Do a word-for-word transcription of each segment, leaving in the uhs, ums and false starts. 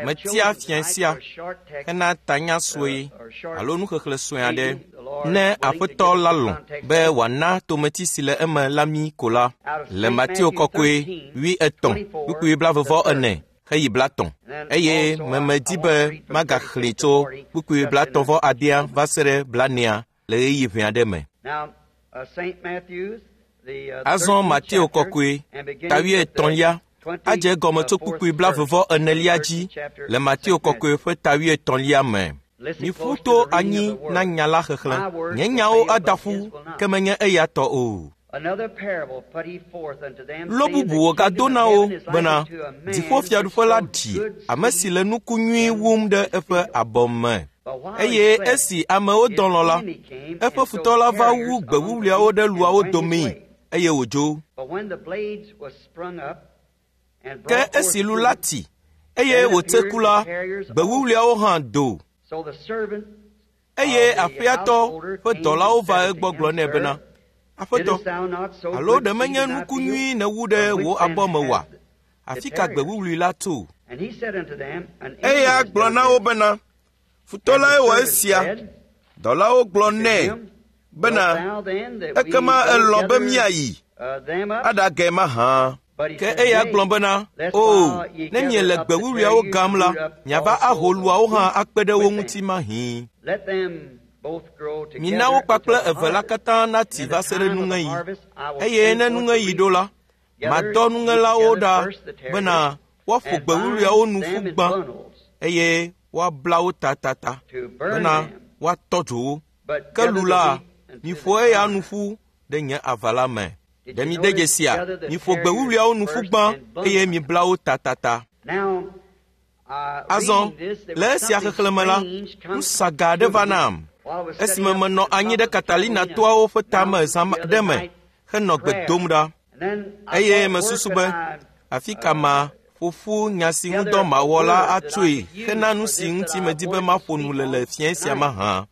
Metia fiẽ sia hena tanya sue alo nuxexlẽ sue aɖe. Ne Aƒetɔ la lɔ̃ be wòana tometi si le eme la mí ko la, le Mateo kɔkɔe wuietɔ̃ kpukpui blaeve vɔ ene heyi blatɔ̃ eye memedi be magaxlẽe tso kpukpui blatɔ̃ vɔ adea va se ɖe blanea le ɣeyiɣi ʋɛ aɖe me. Azɔ Mateo kɔkɔe ta wuietɔ̃lia adze egɔme tso kpukpui blaeve vɔ enelia dzi le Mateo kɔkɔe ƒe ta wuietɔ̃lia me. Miƒu to anyi na nya la xexlẽ. Nye nyawo ada ƒu, ke menye eya tɔ o. Lo bubu wògado na wo bena dziƒofiaɖuƒe la ɖi ame si le nuku nyui wum ɖe eƒe abɔ me. Eye esi amewo dɔ lɔ̃ la, eƒe futɔ la va wu gbe wuwluiawo ɖe luawo domee eye wòdzo. Ke esi lu la ti eye wòtse ku la, gbe wuwluiawo hã do. Eye aƒeatɔ ƒe dɔlawo va egbɔ gblɔ nɛ bena, Aƒetɔ, alo ɖe menye nuku nyui nèwu ɖe wò abɔ me oa? Afi ka gbe wuwlui la tso? Eya gblɔ na wo bena, futɔ lae wɔ esia. Dɔlawo gblɔ nɛ bena, ekema elɔ̃ be míayi aɖage mahã. Ke eya gblɔ bena, O, ne miele gbe wuwluiawo gam la, miava aho luawo hã akpe ɖe wo ŋuti mahĩ. Mina wo kpakple eve la katã nati va se ɖe nuŋeɣi. Eye ne nuŋeɣi ɖo la, madɔ nuŋelawo ɖa bena woaƒo gbe wuwluiawo nu ƒu gbã eye woabla wo tatata bena woatɔ dzo wo. Ke lu la, miƒo eya nu ƒu ɖe nye ava la me. Ɖe mide dzesia? Miƒo gbe wuwluiawo nu ƒu gbã eye mibla wo tatata. Azɔ, le esia xexlẽme la, nu saga aɖe va nam. Esime menɔ anyi ɖe Catalina toawo ƒe tame zã ɖe me henɔ gbe dom ɖa. Eye mesusu be, afi ka ma ƒo ƒu nya si ŋudɔ mawɔ la atsoe hena nu si ŋuti medi be maƒo nu le le fiẽ sia mahã.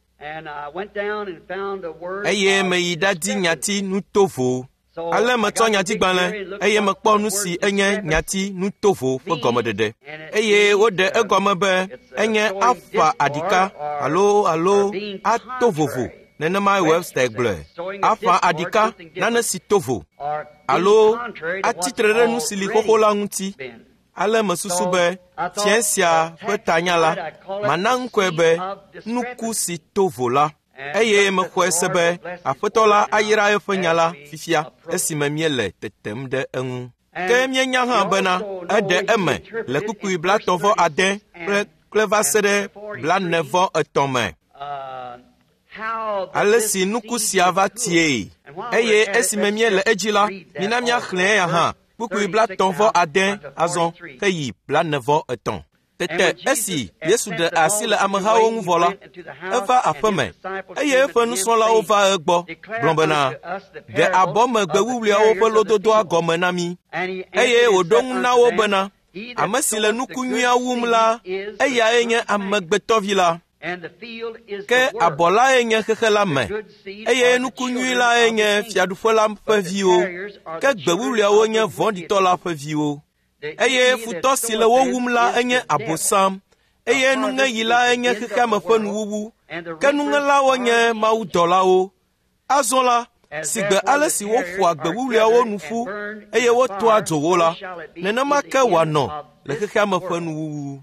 Eye meyi ɖadi nyati nutovo. Ale metsɔ nyatigbalẽ eye mekpɔ nu si enye nyati nutovo ƒe gɔmeɖeɖe. Eye woɖe egɔme be enye aƒa aɖika alo alo ato vovo. Nenemae Webster gblɔe. Aƒa aɖika nane si to vo alo atsitre ɖe nu si li xoxo la ŋuti. Ale mesusu be fiẽ sia ƒe tanya la, mana ŋkɔe be nuku si to vo la. Eye mexɔe se be Aƒetɔ la ayra eƒe nya la fifia esime míele tetem ɖe eŋu. Ke míenya hã bena eɖe eme le kpukpui blatɔ̃ vɔ ade kple kple va se ɖe blane vɔ etɔ̃ me. Ale si nuku sia va tie eye esime míele edzi la, mina míaxlẽ eya hã kpukpui blatɔ̃ vɔ ade azɔ heyi blane vɔ etɔ̃. Tete esi Yesu ɖe asi le amehawo ŋu vɔ la, eva aƒeme eye eƒe nusrɔ̃lawo va egbɔ gblɔ bena, ɖe abɔ me gbe wuwluiawo ƒe lododoa gɔme na mí. Eye wòɖo ŋu na wo bena, ame si le nuku nyuia wum la, eyae nye amegbetɔvi la. Ke abɔ lae nye xexe la me, eye nuku nyui lae nye fiaɖuƒe la ƒe viwo. Ke gbe wuwluiawo nye vɔ̃ɖitɔ la ƒe viwo. Eye futɔ si le wo wum la enye Abosam, eye nuŋeɣi la enye xexeame ƒe nuwuwu. Ke nuŋelawo nye mawudɔlawo. Azɔ la, si gbe ale si woƒoa gbe wuwluiawo nu ƒu eye wotɔa dzo wo la, nenema ke wòanɔ le xexeame ƒe nuwuwu.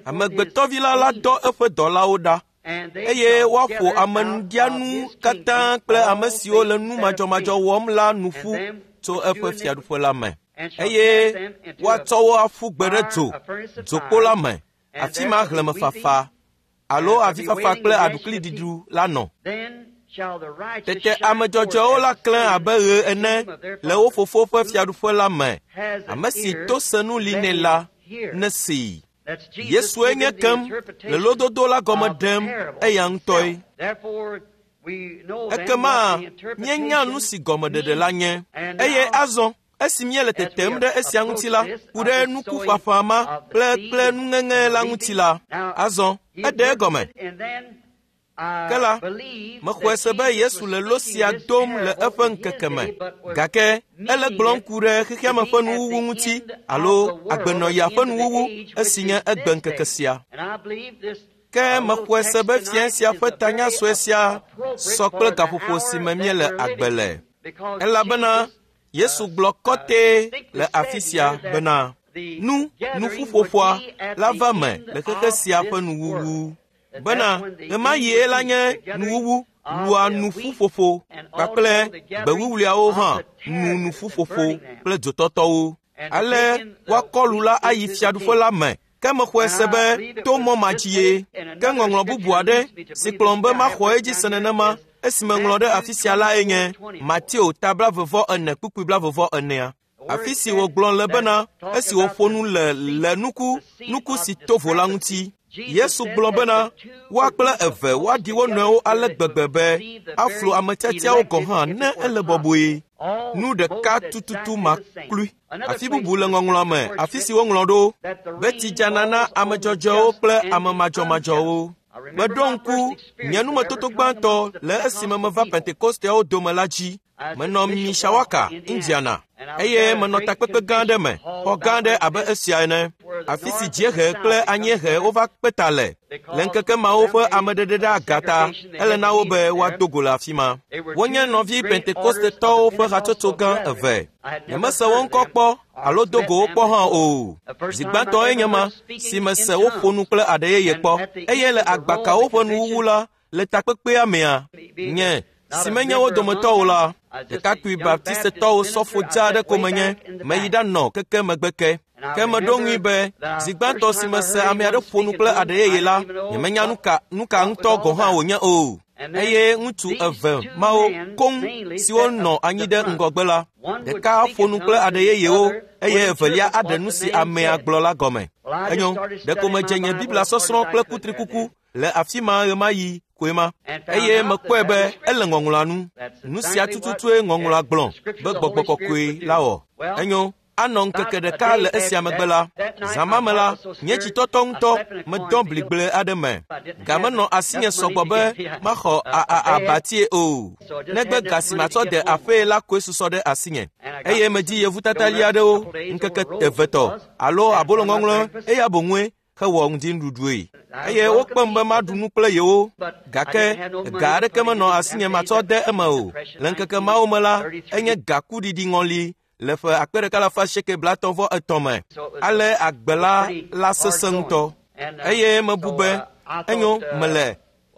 Amegbetɔvi la la dɔ eƒe dɔlawo ɖa eye woaƒo amenuɖianu katã kple ame siwo le nu madzɔmadzɔ wɔm la nu ƒu tso eƒe fiaɖuƒe la me. Eye woatsɔ wo aƒu gbe ɖe dzo, dzokpo la me, afi ma xlẽmefafa alo avifafa kple aɖukliɖiɖu la nɔ. Tete ame dzɔdzɔewo la klẽ abe ɣe ene le wo fofo ƒe fiaɖuƒe la me. Ame si to senu li nɛ la nesee. Yesue nye kem le lododo la gɔme ɖem eya ŋutɔe. Ekema míenya nu si gɔmeɖeɖe la nye. Eye azɔ esi míele tetem ɖe esia ŋuti la, ku ɖe nukuƒaƒã ma kple kple nuŋeŋe la ŋuti la, azɔ eɖe egɔme. Ke la, mexɔe se be Yesu le lo sia dom le eƒe ŋkeke me, gake ele gblɔm ku ɖe xexeame ƒe nuwuwu ŋuti alo agbenɔɣia ƒe nuwuwu esi nye egbe ŋkeke sia. Ke mexɔe se be fia sia ƒe tanya sue sia sɔ kple gaƒoƒo si me míele agbe le. Elabena Yesu gblɔ kɔtɛ le afi sia bena nu nuƒuƒoƒoa la va me le xexe sia ƒe nuwuwu. Bena ɣemaɣie la nye nuwuwu lua nuƒuƒoƒo kpakple gbewuwluawo hã nu nuƒuƒoƒo kple dzotɔtɔwo. Ale woakɔ lu la ayi fiaɖuƒe la me. Ke mexɔe se be to mɔ ma dzi ye. Ke ŋɔŋlɔ bubu aɖe si kplɔm be maxɔ edzi se nenema esime ŋlɔ ɖe afi sia lae nye Mateo ta blaeve ene kpukpui blaeve enea. Afi si wògblɔ le bena esi wòƒo nu le le nuku nuku si to vo la ŋuti. Yesu gblɔ bena woa kple eve woaɖi wo nɔewo ale gbegbe be aflu ame tiatiawo gɔ̃ hã ne ele bɔbɔe. Nu ɖeka tututu maklui. Afi bubu le ŋɔŋlɔa me, afi si woŋlɔ ɖo be tsi dzana na ame dzɔdzɔewo kple ame madzɔmadzɔwo. Meɖo ŋku nye numetoto gbãtɔ le esime meva Pentekosteawo dome la dzi. Menɔ Mishawaka, Indiana, eye menɔ takpekpe gã aɖe me, xɔ gã aɖe abe esia ene, afi si dziehe kple anyiehe wova kpe ta le. Le ŋkeke mawo ƒe ameɖeɖe ɖe aga ta, ele na wo be woado go le afi ma. Wonye nɔvi Pentekostetɔwo ƒe hatsotso gã eve. Nyemese wo ŋkɔ kpɔ alo do go wo kpɔ hã o. Zi gbãtɔe nye ma si mese woƒo nu kple aɖe yeye kpɔ, eye le agbakawo ƒe nuwuwu la, le takpekpea mea, nye si menye wo dometɔ o la, ɖekakpui baptistetɔwo sɔfo dza aɖe ko menye, meyi ɖanɔ keke megbe ke. Ke meɖo ŋui be zi gbãtɔ si mese ame aɖe ƒo nu kple aɖe yeye la, nyemenya nuka nuka ŋutɔ gɔ̃ hã wònye o. Eye ŋutsu eve mawo koŋ siwo nɔ anyi ɖe ŋgɔgbe la, ɖeka ƒo nu kple aɖe yeyewo eye evelia aɖe nu si amea gblɔ la gɔme. Enyo, ɖeko medze nye Biblia sɔsrɔ̃ kple kutrikuku le afi ma ɣemaɣi koe ma. Eye mekpɔe be ele ŋɔŋlɔa nu. Nu sia tututue ŋɔŋlɔa gblɔ be gbɔgbɔ kɔkɔe la wɔ. Enyo, anɔ ŋkeke ɖeka le esia megbe la, zã ma me la, nye dzitɔtɔ ŋutɔ medɔ bligble aɖe me. Ga menɔ asinye sɔgbɔ be maxɔ abatie o. Negbe ga si matsɔ de aƒee la koe susɔ ɖe asinye. Eye medzi yevutatali aɖewo ŋkeke evetɔ alo abolo ŋɔŋlɔ eya boŋue hewɔ ŋdinuɖuɖue. Eye wokpem be maɖu nu kple yewo, gake ga aɖeke menɔ asinye matsɔ de eme o. Le ŋkeke mawo me la, enye gakuɖiɖi ŋɔli le ƒe akpe ɖeka alafa asieke blaetɔ̃ vɔ etɔ̃ me. Ale agbe la la sesẽ ŋutɔ. Eye mebu be enyo mele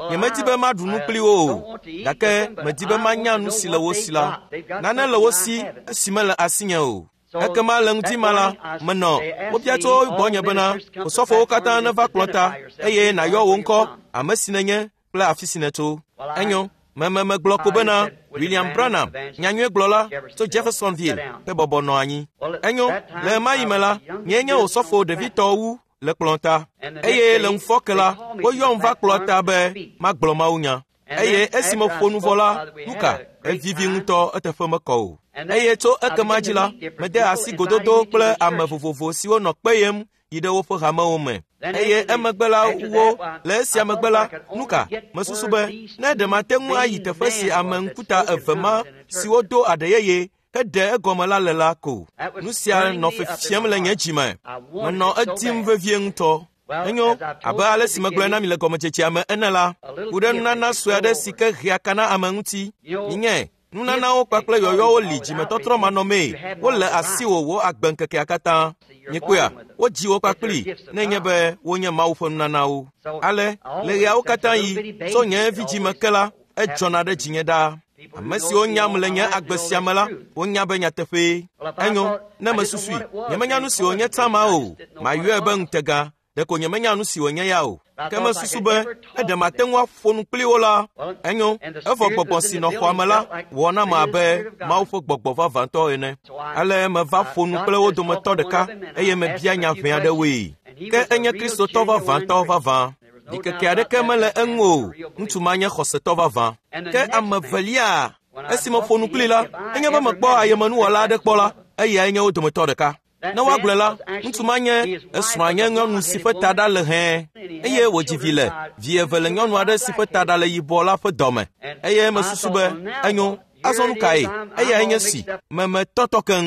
nyemedi be maɖu nu kpli wo o, gake medi be manya nu si le wo si la. Nane le wo si esi mele asinye o. Ekema le ŋdi ma la, menɔ wobia tso gbɔnye bena osɔfowo katã neva kplɔ ta eye nàyɔ wò ŋkɔ, ame si nènye kple afi si nètso. Enyo, meme megblɔ ko bena William Branham, nyanyuiegblɔla tso Jeffersonville ƒe bɔbɔ nɔ anyi. Enyo, le ɣemaɣi me la, nyee nye osɔfo ɖevitɔ wu le kplɔ ta. Eye le ŋufɔke la, woyɔm va kplɔ ta be magblɔ mawunya. Eye esi meƒo nu vɔ la, nuka evivi ŋutɔ eteƒe mekɔ o. Eye tso ekema dzi la, mede asi gododo kple ame vovovo siwo nɔ kpeyem yi ɖe woƒe hamewo me. Eye emegbe la wo le esia megbe la, nuka mesusu be ne ɖe mate ŋu ayi teƒe si ame ŋkuta eve ma siwo do aɖe yeye heɖe egɔme la le la ko. Nu sia nɔ fefiem le nye dzime. Menɔ edim vevie ŋutɔ. Enyo, abe ale si megblɔe na mi le gɔmedzedzea me ene la, ku ɖe nunana sue aɖe si ke hea ka na ame ŋuti. Nye nunanawo kpakple yɔyɔwo li dzimetɔtrɔ manɔmee. Wole asiwò wò agbe ŋkekea katã. Mikpɔea, wodzi wo kpakpli nenye be wonye Mawu ƒe nunanawo. Ale le ɣeawo katã yi tso nye vidzime ke la, edzɔna ɖe dzinye ɖaa. Ame siwo nyam le nye agbe sia me la, wonya be nyateƒee. Enyo, ne mesusui, nyemenya nu si wònye tsã ma o, mayɔe be ŋutega. Ɖeko nyemenya nu si wònye ya o. Ke mesusu be ne ɖe mate ŋu aƒo nu kpli wo la, enyo, evɔ gbɔgbɔ si nɔ xɔa me la wɔ nam abe Mawu ƒe gbɔgbɔ vavãtɔ ene. Ale meva ƒo nu kple wo dometɔ ɖeka eye mebia nya ʋɛ aɖewoe. Ke enye Kristotɔ vavãtɔ vavã. Ɖikeke aɖeke mele eŋu o. Ŋutsu ma nye xɔsetɔ vavã. Ke ame evelia, esi meƒo nu kpli la, enye be mekpɔ ayemenuwɔla aɖe kpɔ la, eyae nye wo dometɔ ɖeka. Ne woagblɔe la, ŋutsu ma nye esrɔ̃a nye nyɔnu si ƒe taɖa le hɛ̃, eye wòdzi vi le vi eve le nyɔnu aɖe si ƒe taɖa le yibɔ la ƒe dɔme. Eye mesusu be enyo. Azɔ nu kae? Eyae nye si memetɔtɔ keŋ.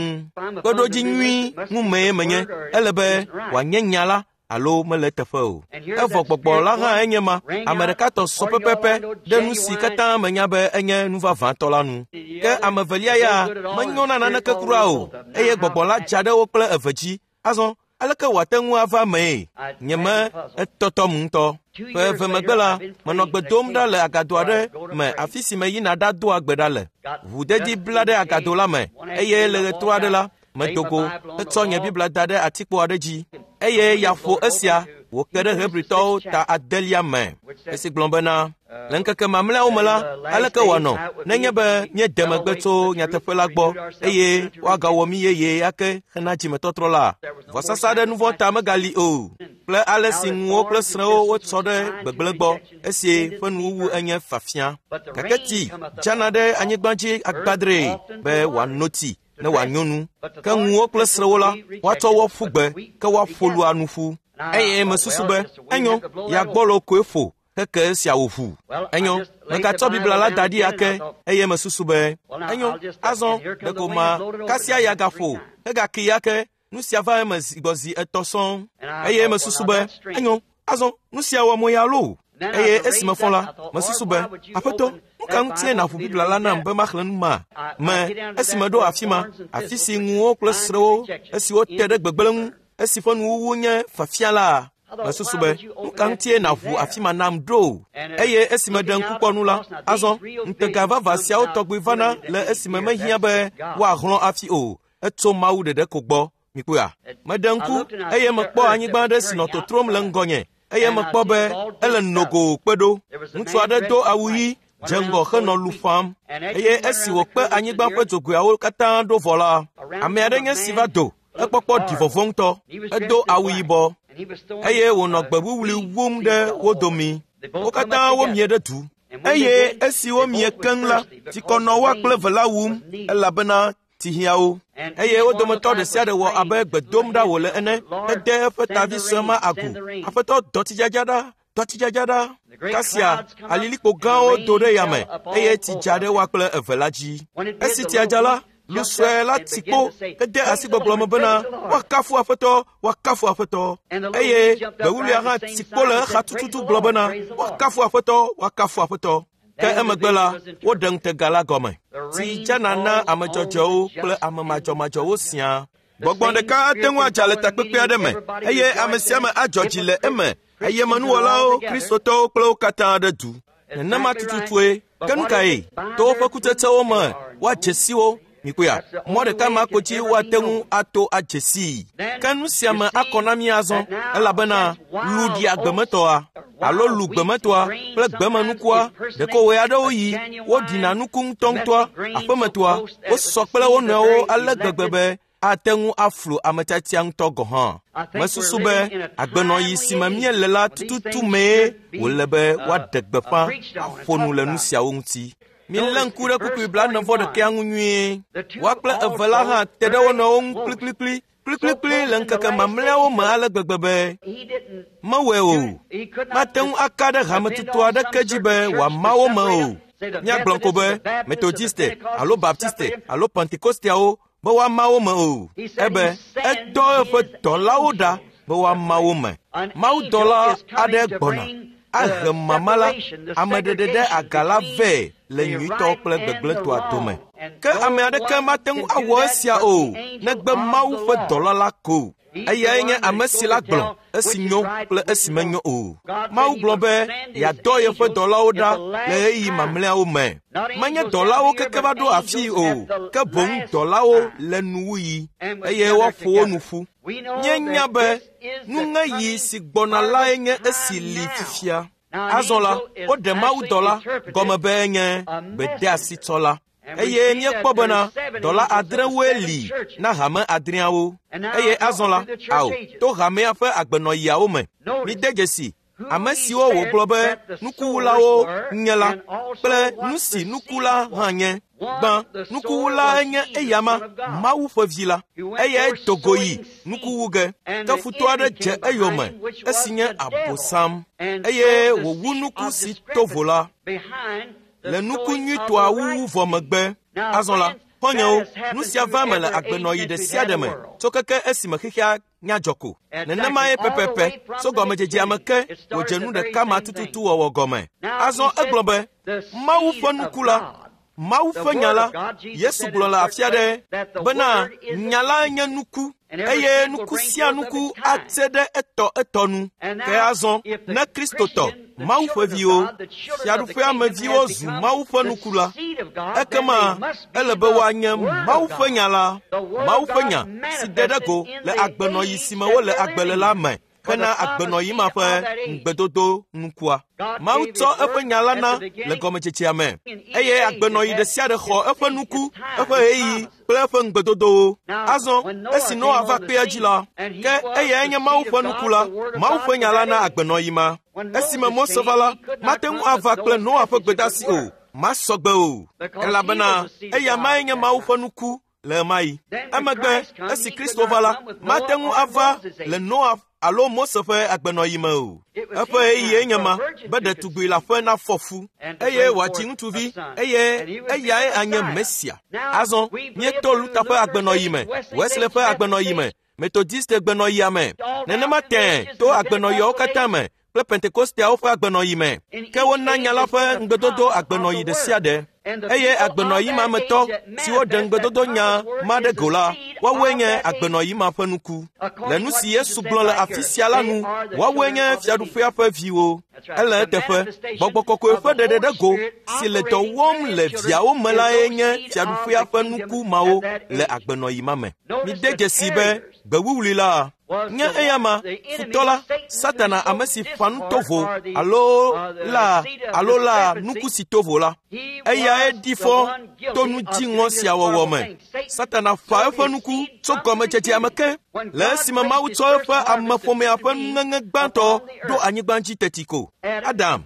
Kpeɖodzi nyui ŋumee menye. Ele be wòanye nya la alo mele eteƒe o. Evɔ gbɔgbɔ la hã enye ma. Ame ɖeka tɔ sɔ pɛpɛpɛ ɖe nu si katã menya be enye nu vavãtɔ la nu. Ke ame evelia ya menyo na naneke kura o, eye gbɔgbɔ la dza ɖe wo kple eve dzi. Azɔ aleke wòate ŋu ava mee? Nye me etɔtɔm ŋutɔ. Ƒe eve megbe la, menɔ gbe dom ɖa le agado aɖe me afi si meyina ɖadoa gbe ɖa le. Ʋudedi bla ɖe agado la me, eye le ɣetrɔ aɖe la, medo go hetsɔ nye Biblia da ɖe atikpo aɖe dzi, eye ya ƒo esia wòke ɖe Hebritɔwo ta adelia me. Esi gblɔ bena, le ŋkeke mamlɛawo me la, aleke wòanɔ nenye be míede megbe tso nyateƒe la gbɔ eye woagawɔ mí yeye ake hena dzimetɔtrɔ la? Vɔsasa ɖe nu vɔ̃ ta megali o, kple ale si ŋuwo kple srẽwo wotsɔ ɖe gbegblẽ gbɔ, esi ƒe nuwuwu enye fafia. Gake tsi dzana ɖe anyigba dzi agbadree be wòano tsi ne wòanyo nu. Ke ŋuwo kple srẽwo la, woatsɔ wo ƒu gbe, ke woaƒo lua nu ƒu. Eye mesusu be enyo, yagbɔlo koe ƒo heke esia wòʋu. Enyo, megatsɔ Biblia la da ɖi ake, eye mesusu be enyo, azɔ ɖeko ma kasia ya gaƒo hegaki ake. Nu sia va eme zi gbɔ zi etɔ̃ sɔŋ. Eye mesusu be enyo, azɔ nu sia wɔ mo ya loo. Eye esi mefɔ la, mesusu be, Aƒetɔ, nu ka ŋutie nàʋu Biblia la nam be maxlẽ nu ma? Me, esi meɖo afi ma, afi si ŋuwo kple srẽwo, esiwo te ɖe gbegblẽ ŋu, esi ƒe nuwuwu nye fafia la, mesusu be, nu ka ŋutie nàʋu afi ma nam ɖo? Eye esi meɖe ŋku kpɔ nu la, azɔ ŋutega vavã siawo tɔgbi vana le esime mehiã be woahlɔ̃ afi o, etso Mawu ɖeɖe ko gbɔ. Mikpɔa? Meɖe ŋku eye mekpɔ anyigba aɖe si nɔ totrom le ŋgɔnye, eye mekpɔ be ele nogo kpe ɖo. Ŋutsu aɖe do awu ɣi, dze ŋgɔ henɔ lu ƒãm. Eye esi wòkpe anyigba ƒe dzogoeawo katã ɖo vɔ la, ame aɖe nye si va do, ekpɔkpɔ ɖi vɔvɔ̃ ŋutɔ. Edo awu yibɔ eye wònɔ gbe wuwlui wum ɖe wo domi. Wo katã womie ɖe du. Eye esi womie keŋ la, tsikɔ nɔ woa kple eve la wum, elabena tsi hiã wo. Eye wo dometɔ ɖe sia ɖe wɔ abe gbe dom ɖa wòle ene, hede eƒe tavi sue ma agu. Aƒetɔ, dɔ tsidzadza ɖa, dɔ tsidzadza ɖa. Kasia alilikpo gãwo do ɖe yame, eye tsi dza ɖe woa kple eve la dzi. Esi tsia dza la, lu sue la tsi kpo hede asi gbɔgblɔ me bena, woakafu Aƒetɔ, woakafu Aƒetɔ. Eye gbe wuwluia hã tsi kpo le exa tututu gblɔ bena, woakafu Aƒetɔ, woakafu Aƒetɔ. Ke emegbe la, woɖe ŋutega la gɔme. Tsi dzana na ame dzɔdzɔewo kple ame madzɔmadzɔwo siaa. Gbɔgbɔ ɖeka ate ŋu adza le takpekpe aɖe me, eye ame sia ame adzɔ dzi le eme, eye menuwɔlawo, Kristotɔwo kple wo katã ɖe du. Nenema tututue. Ke nu kae? To woƒe kutsetsewo me woadze si wo. Mikpɔa? Mɔ ɖeka ma ko dzi woate ŋu ato adze sii. Ke nu sia me akɔ na mí azɔ, elabena lu ɖia gbemetɔa alo lu gbemetɔa kple gbemenukua ɖeko ɣe aɖewo yi woɖina nuku ŋutɔŋutɔa, aƒemetɔa, wosɔ kple wo nɔewo ale gbegbe be ate ŋu aflu ame tiatia ŋutɔ gɔ̃ hã. Mesusu be agbenɔɣi si me míele la tututu mee wòle be woaɖe gbeƒã aƒo nu le nu siawo ŋuti. Milé ŋku ɖe kpukpui blaene vɔ ɖekea ŋu nyuie. Woa kple eve la hã te ɖe wo nɔewo ŋu kplikplikpli kplikplikpli le ŋkeke mamlɛawo me ale gbegbe be mewɔe o. Mate ŋu aka ɖe hametutu aɖeke dzi be wòama wo me o. Míagblɔ ko be Metodiste alo Baptiste alo Pentekosteawo be woama wo me o. Ebe edɔ eƒe dɔlawo ɖa be woama wo me. Mawudɔla aɖe gbɔna ahe mama la, ame ɖeɖe ɖe aga la vɛ le nyuitɔ kple gbegblẽtɔa dome. Ke ame aɖeke mate ŋu awɔ esia o, negbe Mawu ƒe dɔla la ko. Eyae nye ame si la gblɔ esi nyo kple esi menyo o. Mawu gblɔ be yeadɔ yeƒe dɔlawo ɖa le ɣeyiɣi mamlɛawo me. Menye dɔlawo keke va ɖo afii o, ke boŋ dɔlawo le nuwuɣi, eye woaƒo wo nu ƒu. Míenya be nuŋeɣi si gbɔna lae nye esi li fifia. Azɔ la, woɖe mawudɔla gɔme be enye gbedeasitsɔla. Eye míekpɔ bena dɔla adrewoe li na hame adreawo. Eye azɔ la, ao, to hamea ƒe agbenɔɣiawo me. Mide dzesi Ame siwo wògblɔ be nukuwulawo nye la kple nu si nukula hã nye. Gbã, nukuwulae nye eyama, Mawu ƒe vi la. Eyae do go yi nukuwu ge. Ke futɔ aɖe dze eyome, esi nye Abosam, eye wòwu nuku si to vo la le nuku nyuitɔa wuwu vɔ megbe. Azɔ la, xɔ̃nyewo, nu sia va eme le agbenɔɣi ɖe sia ɖe me tso keke esime xexea nya dzɔ ko. Nenemae pɛpɛpɛ tso gɔmedzedzea me ke wòdze nu ɖeka ma tututu wɔwɔ gɔme. Azɔ egblɔ be Mawu ƒe nuku la, Mawu ƒe nya la, Yesu gblɔ le afi aɖe bena nya la nye nuku, eye nuku sia nuku ate ɖe etɔ etɔ nu. Ke azɔ ne Kristotɔ, Mawu ƒe viwo, Fiaɖuƒea me viwo zu Mawu ƒe nuku la, ekema ele be woanye Mawu ƒe nya la, Mawu ƒe nya si ɖe ɖe go le agbenɔɣi si me wole agbe le la me hena agbenɔɣi ma ƒe ŋugbedodo nukua. Mawu tsɔ eƒe nya la na le gɔmedzedzea me, eye agbenɔɣi ɖe sia ɖe xɔ eƒe nuku, eƒe ɣeyiɣi kple eƒe ŋugbedodowo. Azɔ esi Noa va kpea dzi la, ke eyae nye Mawu ƒe nuku la, Mawu ƒe nya la na agbenɔɣi ma. Esime Mose va la, mate ŋu ava kple Noa ƒe gbedeasi o, masɔ gbe o, elabena eya mae nye Mawu ƒe nuku le ɣemaɣi. Emegbe esi Kristo va la, mate ŋu ava le Noa alo Mose ƒe agbenɔɣi me o. Eƒe ɣeyiɣie nye ma be ɖetugbi la ƒe nafɔ fu, eye wòadzi ŋutsuvi, eye eyae anye Mesia. Azɔ míeto Luther ƒe agbenɔɣi me, Wesley ƒe agbenɔɣi me, Methodiste gbenɔɣia me, nenema tẽe to agbenɔɣiawo katã me kple Pentekosteawo ƒe agbenɔɣi me. Ke wona nya la ƒe ŋugbedodo agbenɔɣi ɖe sia ɖe, eye agbenɔɣi ma me tɔ siwo ɖe ŋugbedodo nya ma ɖe go la, woawoe nye agbenɔɣi ma ƒe nuku. Le nu si Yesu gblɔ le afi sia la nu, woawoe nye Fiaɖuƒea ƒe viwo. Ele eteƒe, Gbɔgbɔ Kɔkɔe ƒe ɖeɖe ɖe go si le dɔ wɔm le viawo me lae nye Fiaɖuƒea ƒe nuku mawo le agbenɔɣi ma me. Mide dzesii be gbewuwlui la nye eyama, futɔ la, Satana, ame si ƒã nu tovo alo la alo la nuku si tovo la. Eyae ɖi fɔ to nu dziŋɔ sia wɔwɔ me. Satana ƒã eƒe nuku tso gɔmedzedzea me ke le esime Mawu tsɔ eƒe ameƒomea ƒe nuŋeŋe gbãtɔ ɖo anyigba dzi teti ko. Adam,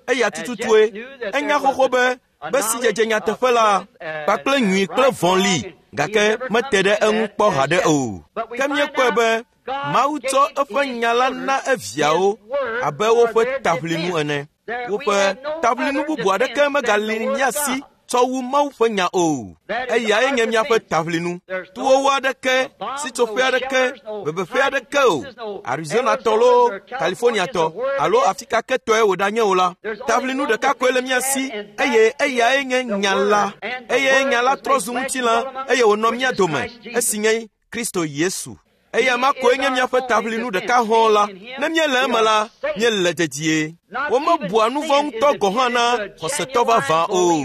eya tututue, enya xoxo be be sidzedze nyateƒe la kpakple nyui kple vɔ̃ li, gake mete ɖe eŋu kpɔ haɖe o. Ke míekpɔe be Mawu tsɔ eƒe nya la na eviawo abe woƒe taʋlinu ene. Woƒe taʋlinu bubu aɖeke megali mía si tsɔ wu Mawu ƒe nya o. Eyae nye míaƒe taʋlinu. Towowo aɖeke, sitsoƒe aɖeke, bebeƒe aɖeke o, Arizonatɔ loo, Californiatɔ alo afi ka ke tɔe wòɖanye o la, taʋlinu ɖeka koe le mía si, eye eyae nye nya la. Eye nya la trɔ zu ŋutilã, eye wònɔ mía dome, esi nye Kristo Yesu. Eya ma koe nye míaƒe taʋlinu ɖeka hɔ̃ la. Ne míele eme la, míele dedie. Womebua nu vɔ̃ ŋutɔ gɔ̃ hã na xɔsetɔ vavã o.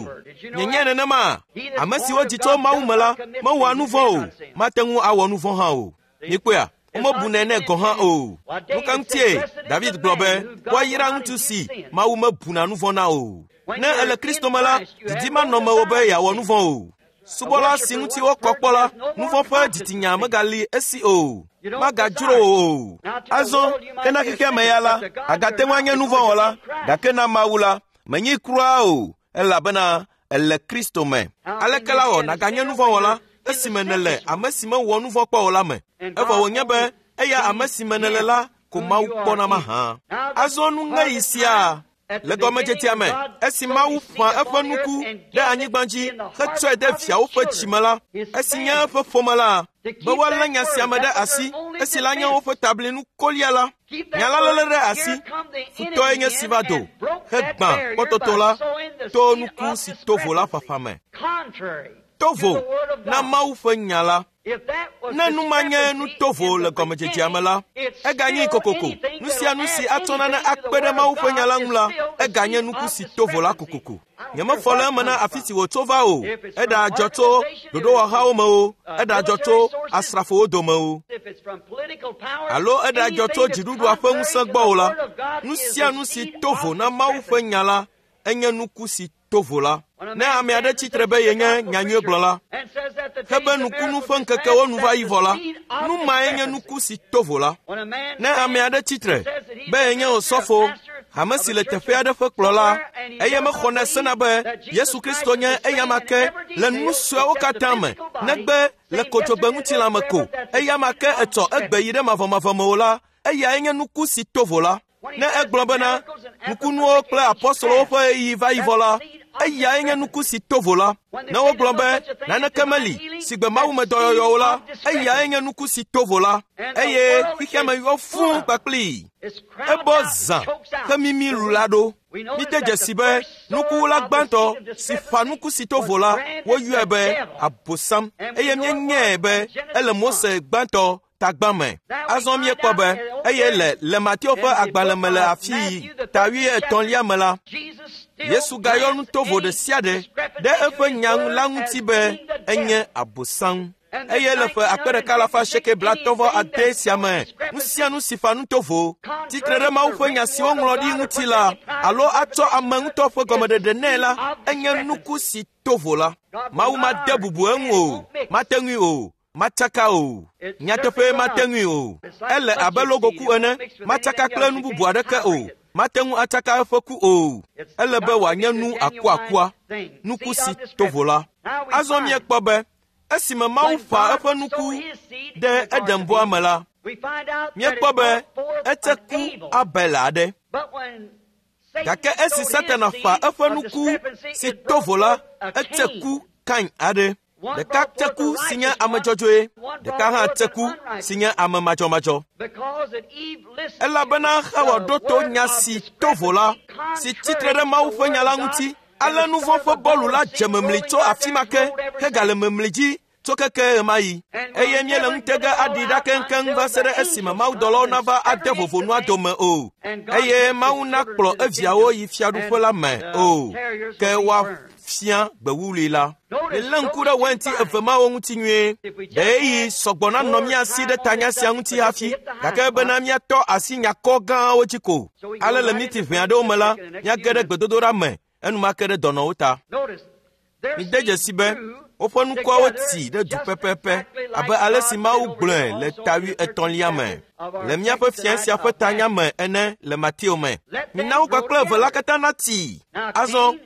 Nyenye nenema, ame siwo dzi tso Mawu me la mewɔa nu vɔ̃ o, mate ŋu awɔ nu vɔ̃ hã o. Mikpɔea, womebunɛ nɛ gɔ̃ hã o. Nu ka ŋutie David gblɔ be woayra ŋutsu si Mawu mebuna nu vɔ̃ na o. Ne ele Kristo me la, didi manɔ mewò be yeawɔ nu vɔ̃ o. Subɔla si ŋuti wokɔ kpɔ la, nu vɔ̃ ƒe dzitsinya megali esi o, magadzro wò o. Azɔ ke na xexea me ya la, agate ŋu anye nu vɔ̃ wɔla, gake na Mawu la, menyi kura o, elabena ele Kristo me. Aleke la wɔ nàganye nu vɔ̃ wɔla esime nèle ame si mewɔ nu vɔ̃ kpɔ o la me? Evɔ wònye be eya ame si me nèle la ko Mawu kpɔna mahã. Azɔ nuŋeɣi sia le gɔmedzedzea me, esi Mawu ƒã eƒe nuku ɖe anyigba dzi hetsɔe de viawo ƒe dzime la, esi nye eƒe ƒome la, be woalé nya sia me ɖe asi, esi la nye woƒe tablinu kolia la, nya la léle ɖe asi, futɔe nye si va do, hegbã kpɔtɔtɔ la to nuku si to vo la ƒaƒã me. To vo na Mawu ƒe nya la. Ne nu ma nye nu tovo le gɔmedzedzea me la, eganye kokoko. Nu sia nu si atsɔ nane akpe ɖe Mawu ƒe nya la ŋu la, eganye nuku si tovo la kokoko. Nyemefɔ le eme na afi si wòtso va o, eɖadzɔ tso ɖoɖowɔhawo me o, eɖadzɔ tso asrafowo dome o, alo eɖadzɔ tso dziɖuɖua ƒe ŋusẽ gbɔ o la, nu sia nu si tovo na Mawu ƒe nya la, enye nuku si tovo la. Ne ame aɖe tsitre be yenye nyanyuiegblɔla, hebe nukunu ƒe ŋkekewo nu va yi vɔ la, nu mae nye nuku si tovo la. Ne ame aɖe tsitre be yenye osɔfo, hame si le teƒe aɖe ƒe kplɔla, eye mexɔnɛ sena be Yesu Kristo nye eyama ke le nu suewo katã me, negbe le kodzogbe ŋutilã me ko, eyama ke etsɔ egbe yi ɖe mavɔmavɔ me o la, eyae nye nuku si to vo la. Ne egblɔ bena nukunuwo kple apɔstolowo ƒe ɣeyiɣi va yi vɔ la, eyae nye nuku si to vo la. Ne wogblɔ be naneke meli si gbe mawumedɔyɔyɔwo la, eyae nye nuku si to vo la. Eye xexea me yɔ fũu kpakplii. Ebɔ zã hemimi lu la ɖo. Mide dzesi be nukuwula gbãtɔ si ƒã nuku si to vo la, woyɔe be Abosam, eye míenyae be ele Mose gbãtɔ tagbã me. Azɔ míekpɔ be eye le le Mateo ƒe agbalẽ me le afii ta wuietɔ̃lia me la, Yesu gayɔ nu tovo ɖe sia ɖe ɖe eƒe nya la ŋuti be enye Abosam. Eye le ƒe akpe ɖeka alafa asieke blaetɔ̃ vɔ ade sia me, nu sia nu si ƒã nu tovo tsitre ɖe Mawu ƒe nya si woŋlɔ ɖi ŋuti la, alo atsɔ ame ŋutɔ ƒe gɔmeɖeɖe nɛ la, enye nuku si to vo la. Mawu made bubu eŋu o, mate ŋui o, matsaka o. Nyateƒe mate ŋui o. Ele abe logoku ene, matsaka kple nu bubu aɖeke o. Mate ŋu atsaka eƒe ku o. Ele be wòanye nu akuakua, nuku si to vo la. Azɔ míekpɔ be esime Mawu ƒã eƒe nuku ɖe Edenbɔa me la, míekpɔ be etse ku Abel aɖe. Gake esi Satana ƒã eƒe nuku si to vo la, etse ku Kain aɖe. Ɖeka tse ku si nye ame dzɔdzɔe, ɖeka hã tse ku si nye ame madzɔmadzɔ. Elabena Xawa ɖo to nya si to vo la, si tsitre ɖe Mawu ƒe nya la ŋuti. Ale nu vɔ̃ ƒe bɔlu la dze memli tso afi ma ke hegale memli dzi tso keke ɣemaɣi. Eye míele ŋutega aɖi ɖa keŋkeŋ va se ɖe esime mawudɔlawo nava ade vovo nua dome o, eye Mawu nakplɔ eviawo yi fiaɖuƒe la me o, ke woafia gbewuwlui la. Milé ŋku ɖe wainti eve mawo ŋuti nyuie. Ɖe ɣeyiɣi sɔgbɔ nanɔ mía si ɖe tanya sia ŋuti hafi, gake bena míatɔ asi nyakɔ gãwo dzi ko. Ale le miniti ʋɛ aɖewo me la, míage ɖe gbedodoɖa me enumake ɖe dɔnɔwo ta. Mide dzesi be woƒe nukuawo tsi ɖe du pɛpɛpɛ abe ale si Mawu gblɔe le ta wuietɔ̃lia me le míaƒe fia sia ƒe tanya me ene le Mateo me. Mina wo kpakple eve la katã natsi. Azɔ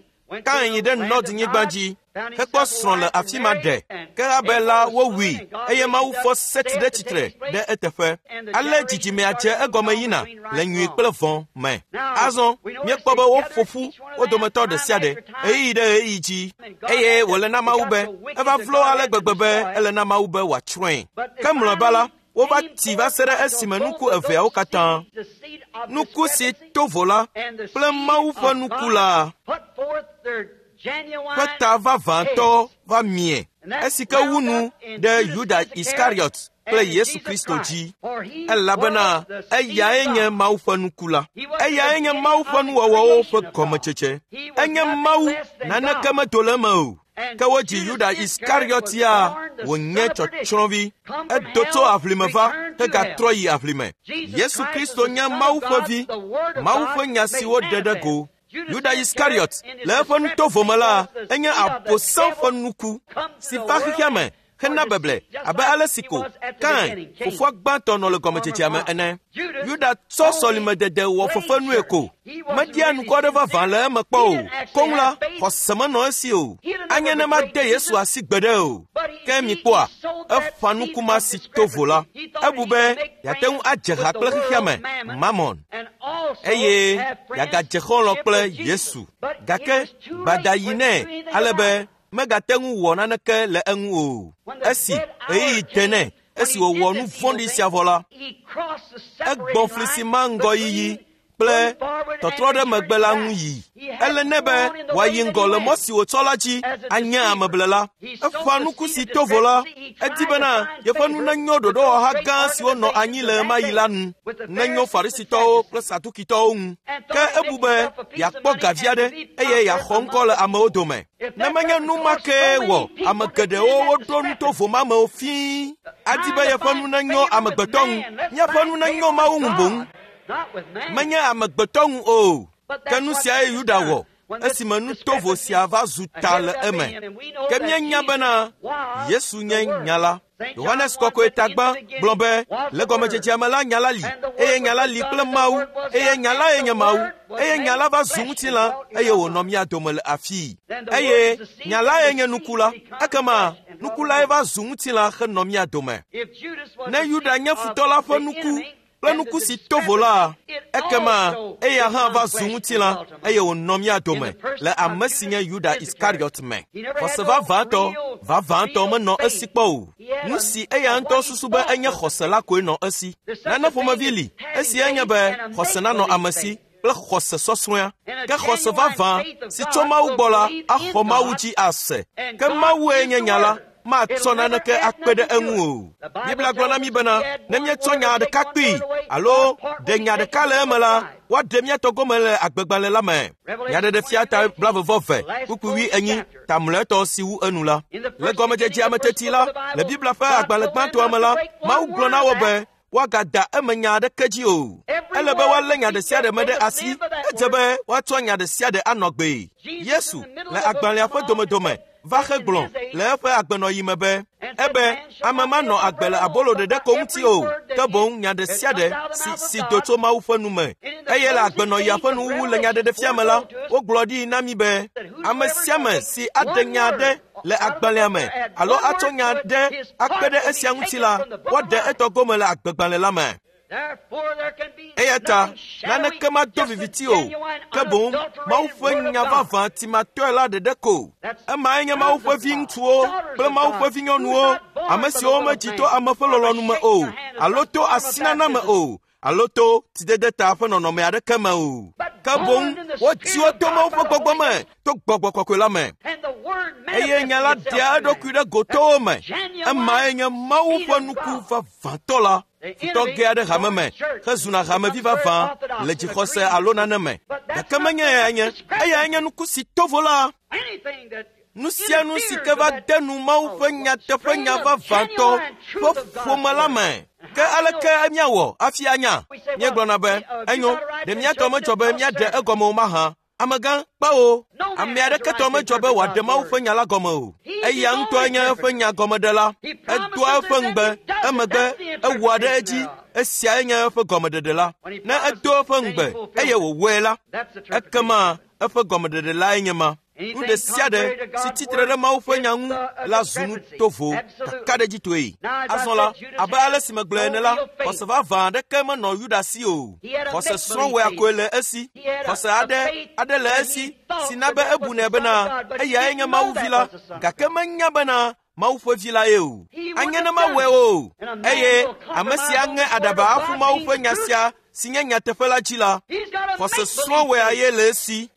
Kain yi ɖe Nɔd-nyigba dzi hekpɔ srɔ̃ le afi ma ɖe. Ke Abel la wowui eye Mawu fɔ Set ɖe tsitre ɖe eteƒe. Ale dzidzimea dze egɔme yina le nyui kple vɔ̃ me. Azɔ míekpɔ be woƒo ƒu wo dometɔ ɖe sia ɖe ɣeyiɣi ɖe ɣeyiɣi dzi, eye wòle na Mawu be eva vlo ale gbegbe be ele na Mawu be wòatsrɔ̃e. Ke mlɔeba la, wova tsi va se ɖe esime nuku eveawo katã, nuku si to vo la kple Mawu ƒe nuku la ƒe ta vavãtɔ va mie, esi ke wu nu ɖe Yuda Iskariot kple Yesu Kristo dzi, elabena eyae nye Mawu ƒe nuku la. Eyae nye Mawu ƒe nuwɔwɔwo ƒe gɔmetsetse. Enye Mawu, naneke medo le eme o. Ke wodzi Yuda Iskariot ya wònye tsɔtsrɔ̃vi. Edo tso aʋlime va hegatrɔ yi aʋlime. Yesu Kristo nye Mawu ƒe vi, Mawu ƒe nya si woɖe ɖe go. Yuda Iskariot le eƒe nutovo me la, enye Abosam ƒe nuku si va xexea me hena beble abe ale si ko Kain, fofoa gbãtɔ nɔ le gɔmedzedzea me ene. Yuda tsɔ sɔlimedede wɔ fefenue ko. Media nukɔ aɖe vavã le eme kpɔ o. Koŋ la, xɔse menɔ esi o. Anye ne made Yesu asi gbeɖe o. Ke mikpɔa, eƒã nuku ma si to vo la. Ebu be yeate ŋu adze ha kple xexea me, Mamon, eye yeagadze xɔlɔ̃ kple Yesu. Gake gbada yi nɛ ale be megate ŋu wɔ naneke le eŋu o. Esi ɣeyiɣi de nɛ, esi wòwɔ nu vɔ̃ɖi sia vɔ la, egbɔ fli si ma ŋgɔyiyi kple tɔtrɔ ɖe megbe la ŋu yi. Ele nɛ be wòayi ŋgɔ le mɔ si wòtsɔ la dzi anye ameblela. Eƒã nuku si to vo la, edi bena yeƒe nu nenyo ɖoɖowɔha gã siwo nɔ anyi le ɣemaɣi la nu, nenyo Farisitɔwo kple Sadukitɔwo ŋu. Ke ebu be yeakpɔ gavi aɖe eye yeaxɔ ŋkɔ le amewo dome. Ne menye nu ma kee wɔ ame geɖewo woɖo nutovo ma mewo fĩi, adi be yeƒe nu nenyo amegbetɔ ŋu, míaƒe nu nenyo Mawu ŋu boŋ. Menye amegbetɔ ŋu o. Ke nu siae Yuda wɔ. Esime nu tovo sia va zu ta le eme. Ke míenya bena Yesu nye nya la. Yohanes Kɔkɔe tagbã gblɔ be le gɔmedzedzea me la nya la li, eye nya la li kple Mawu, eye nya lae nye Mawu, eye nya la va zu ŋutilã eye wònɔ mía dome le afii. Eye nya lae nye nuku la, ekema nuku lae va zu ŋutilã henɔ mía dome. Ne Yuda nye futɔ la ƒe nuku kple nuku si tovo la, ekema eya hã va zu ŋutilã eye wònɔ mía dome le ame si nye Yuda Iskariot me. Xɔse vavãtɔ, vavãtɔ menɔ esi kpɔ o. Nu si eya ŋutɔ susu be enye xɔse la koe nɔ esi. Nane ƒomevi li, esi enye be xɔse nanɔ ame si kple xɔse sɔsrɔ̃a. Ke xɔse vavã si tso Mawu gbɔ la axɔ Mawu dzi ase. Ke Mawue nye nya la, matsɔ naneke akpe ɖe eŋu o. Biblia gblɔ na mí bena ne míetsɔ nya ɖeka kpee alo ɖe nya ɖeka le eme la, woaɖe mía tɔ gome le agbegbalẽ la me. Nyaɖeɖefia ta blaeve vɔ eve kpukpui wi enyi ta mlɔetɔ si wu enu la. Le gɔmedzedzea me teti la, le Biblia ƒe agbalẽ gbãtɔa me la, Mawu gblɔ na wo be woagada eme nya aɖeke dzi o. Ele be woalé nya ɖe sia ɖe me ɖe asi. Edze be woatsɔ nya ɖe sia ɖe anɔ gbee. Yesu le agbalẽa ƒe domedome va hegblɔ le eƒe agbenɔyi me be ebe ame manɔ agbe le abolo ɖeɖe ko ŋuti o, ke boŋ nya ɖe sia ɖe si si do tso Mawu ƒe nu me. Eye le agbenɔyia ƒe nuwuwu le nyaɖeɖefia me la, wogblɔ ɖi na mí be ame sia ame si aɖe nya aɖe le agbalẽa me alo atsɔ nya aɖe akpe ɖe esia ŋuti la, woaɖe etɔ gome le agbegbalẽ la me. Eya ta naneke mado viviti o, ke boŋ Mawu ƒe nya vavã timatɔe la ɖeɖe ko. Emae nye Mawu ƒe viŋutsuwo kple Mawu ƒe vinyɔnuwo, ame siwo medzi to ame ƒe lɔlɔ̃nu me o, alo to asinana me o, alo to tidede ta ƒe nɔnɔme aɖeke me o. Ke boŋ wodzi wo to Mawu ƒe gbɔgbɔ me, to gbɔgbɔ kɔkɔe la me. Eye nya la ɖea eɖokui ɖe gotowo me. Emae nye Mawu ƒe nuku vavãtɔ la. Futɔ ge aɖe hame me hezuna hamevi vavã le dzixɔse alo nane me. Gake menye eyae nye, eyae nye nuku si tovo la. Nu sia nu si ke va de nu Mawu ƒe nyateƒe nya vavãtɔ ƒe ƒome la me. Ke aleke míawɔ hafi anya? Míegblɔna be, enyo, ɖe mía tɔ medzɔ be míaɖe egɔme o mahã? Amegã, kpewo. Ame aɖeke tɔ medzɔ be wòaɖe Mawu ƒe nya la gɔme o. Eya ŋutɔe nye eƒe nya gɔmeɖela. Edoa eƒe ŋugbe, emegbe ewɔa ɖe edzi. Esiae nye eƒe gɔmeɖeɖe la. Ne edo eƒe ŋugbe eye wòwɔe la, ekema eƒe gɔmeɖeɖe lae nye ma. Nu ɖe sia ɖe si tsitre ɖe Mawu ƒe nya ŋu la zu nu tovo kakaɖedzitɔe. Azɔ la, abe ale si megblɔe ene la, xɔse vavã aɖeke menɔ Yuda si o. Xɔse srɔ̃wɔea koe le esi. Xɔse aɖe aɖe le esi si na be ebunɛ bena eyae nye Mawu vi la, gake menya bena Mawu ƒe vi la ye o. Anye ne mawɔe o. Eye ame si aŋe aɖaba aƒu Mawu ƒe nya sia si nye nyateƒe la dzi la, xɔse srɔ̃wɔea ye le esi.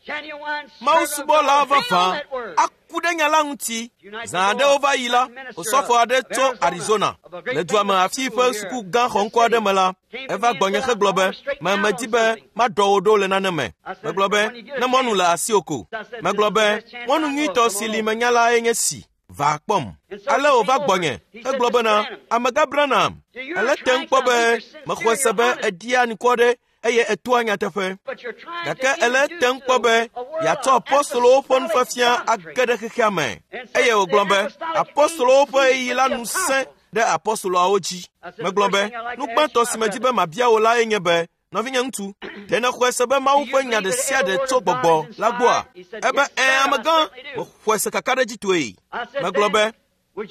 Mawu subɔla vavã aku ɖe nya la ŋuti. Zã aɖewo va yi la, osɔfo aɖe tso Arizona le dua me afi ƒe suku gã xɔŋkɔ aɖe me la, eva gbɔnye hegblɔ be, me medi be maɖɔ wò ɖo le nane me. Megblɔ be, ne mɔnu le asiwò ko. Megblɔ be, mɔnu nyuitɔ si li menya lae nye si. Va kpɔm. Ale wòva gbɔnye hegblɔ bena, amegã Branham, ele tem kpɔ be mexɔe se be eɖia nukɔ ɖe eye etoa nyateƒe. Gake ele tem kpɔ be yeatsɔ apostolowo ƒe nufiafia age ɖe xexea me. Eye wògblɔ be apostolowo ƒe ɣeyiɣi la nu sẽ ɖe apostoloawo dzi. Megblɔ be, nu gbãtɔ si medi be mabia wò lae nye be, nɔvinye ŋutsu, ɖe nèxɔe se be Mawu ƒe nya ɖe sia ɖe tso gbɔgbɔ la gbɔa? Ebe, ɛ̃, amegã, mexɔe se kakaɖedzitɔe. Megblɔ be,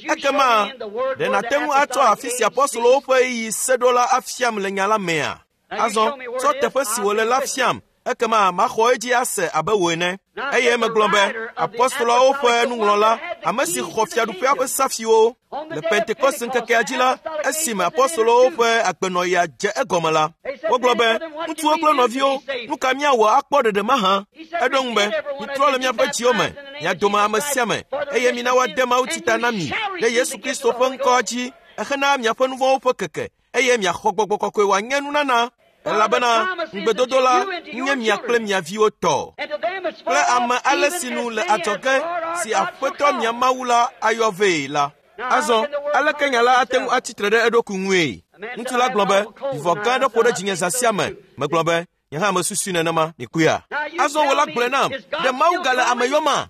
ekema ɖe nàte ŋu atsɔ afi si apostolowo ƒe ɣeyiɣi se ɖo la afiam le nya la mea? Azɔ, tsɔ teƒe si wòle la fiam, ekema maxɔ edzi ase abe wò ene. Eye megblɔ be, apostoloawo ƒe nuŋlɔla, ame si xɔ fiaɖuƒea ƒe safiwo le Pentekoste ŋkekea dzi la, esime apostolowo ƒe agbenɔɣia dze egɔme la, wogblɔ be, ŋutsuwo kple nɔviwo, nu ka míawɔ akpɔ ɖeɖe mahã? Eɖo ŋu be, mitrɔ le miaƒe dziwo me, mia dome ame sia ame, eye mina woade mawutsi ta na mi ɖe Yesu Kristo ƒe ŋkɔa dzi hena miaƒe nu vɔ̃wo ƒe keke, eye miaxɔ gbɔgbɔ kɔkɔe wòanye nunana. Elabena ŋugbedodo la nye mia kple mia viwo tɔ, kple ame ale si nu le adzɔge si Aƒetɔ mia Mawu la ayɔ vee la. Azɔ, aleke nya la ate ŋu atsitre ɖe eɖokui ŋue? Ŋutsu la gblɔ be, vivɔ gã aɖe ƒo ɖe dzinye zã sia me. Megblɔ be, Nye hã mesusui nenema, mikpɔea. Azɔ wò la gblɔe nam, ɖe Mawu gale ame yɔma?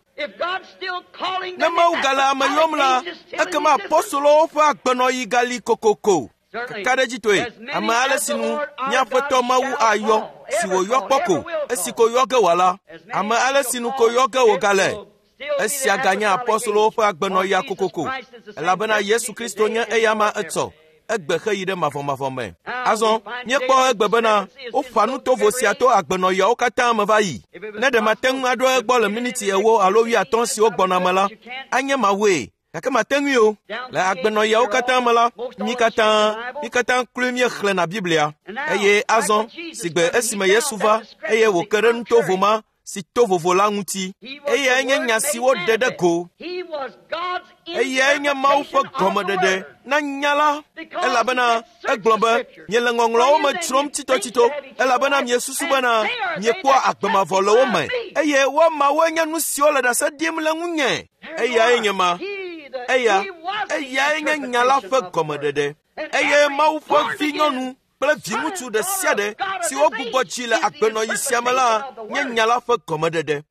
Ne Mawu gale ame yɔm la, ekema apostolowo ƒe agbenɔɣi gali kokoko. Kakaɖedzitɔe, ame ale si nu míaƒetɔ Mawu ayɔ, si wòyɔ kpɔ ko, esi ko yɔ ge wòala, ame ale si nu ko yɔ ge wògale. Esia ganye apostolowo ƒe agbenɔɣia kokoko, elabena Yesu Kristo nye eyama etsɔ, egbe xeyi ɖe mavɔmavɔ me. Azɔ, míekpɔ egbe bena woƒã nutovo sia to agbenɔɣiawo katã me va yi. Ne ɖe mate ŋu aɖo egbɔ le miniti ewo alo wuiatɔ̃ siwo gbɔna me la, anye mawue. Gake mate ŋui o. Le agbenɔɣiawo katã me la, mí katã, mí katã kloe míexlẽna Biblia. Eye azɔ, sigbe esime Yesu va, eye wòke ɖe nutovo ma si to vovo la ŋuti. Eyae nye nya si woɖe ɖe go. Eyae nye Mawu ƒe gɔmeɖeɖe na nya la, elabena egblɔ be miele ŋɔŋlɔawo me dzrom tsitotsito, elabena miesusu bena miekpɔa agbe mavɔ le wo me, eye woamawoe nye nu siwo le ɖase ɖim le ŋunye. Eyae nye ma. Eya, eyae nye nya la ƒe gɔmeɖeɖe. Eye Mawu ƒe vinyɔnu kple viŋutsu ɖe sia ɖe si wogbugbɔ dzi le agbenɔɣi sia me la nye nya la ƒe gɔmeɖeɖe.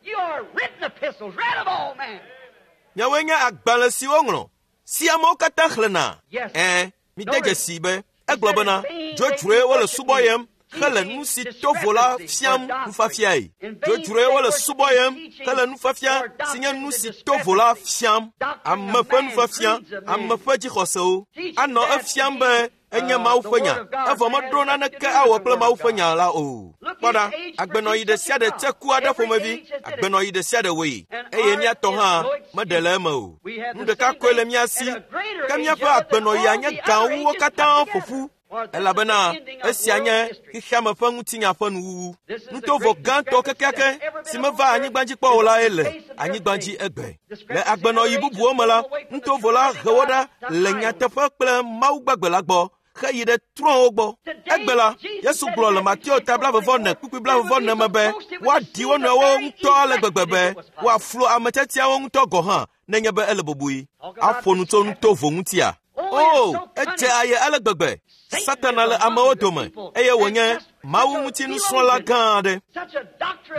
Miawoe nye agbalẽ si woŋlɔ, si amewo katã xlẽna. Ɛ̃, mide dzesi be egblɔ bena dzodzroe wole subɔyem hele nu si to vo la fiam nufiafiae. Dzodzroe wole subɔyem hele nufiafia si nye nu si to vo la fiam. Ame ƒe nufiafia, ame ƒe dzixɔsewo. Anɔ efiam be enye Mawu ƒe nya, evɔ meɖo naneke awɔ kple Mawu ƒe nya la o. Kpɔ ɖa, agbenɔɣi ɖe sia ɖe tse ku aɖe ƒomevi, agbenɔɣi ɖe sia ɖe wɔe, eye míatɔ hã meɖe le eme o. Nu ɖeka koe le mía si, ke míaƒe agbenɔɣia nye gã wu wo katã ƒo ƒu, elabena esia nye xexeame ƒe ŋutinya ƒe nuwuwu. Nutovo gãtɔ kekeake si meva anyigba dzi kpɔ o lae le anyigba dzi egbe. Le agbenɔɣi bubuwo me la, nutovo la he wo ɖa le nyateƒe kple Mawu gbagbe la gbɔ xeyi ɖe trɔ̃wo gbɔ. Egbe la, Yesu gblɔ le Mateo ta blaeve-vɔ-ene kpukpui blaeve-vɔ-ene me be woaɖi wo nɔewo ŋutɔ ale gbegbe be woaflu ame tiatiawo ŋutɔ gɔ̃ hã nenye be ele bɔbɔe. Aƒo nu tso nutovo ŋutia? O, edze aye ale gbegbe. Satana le amewo dome eye wònye Mawu ŋuti nusrɔ̃la gã aɖe.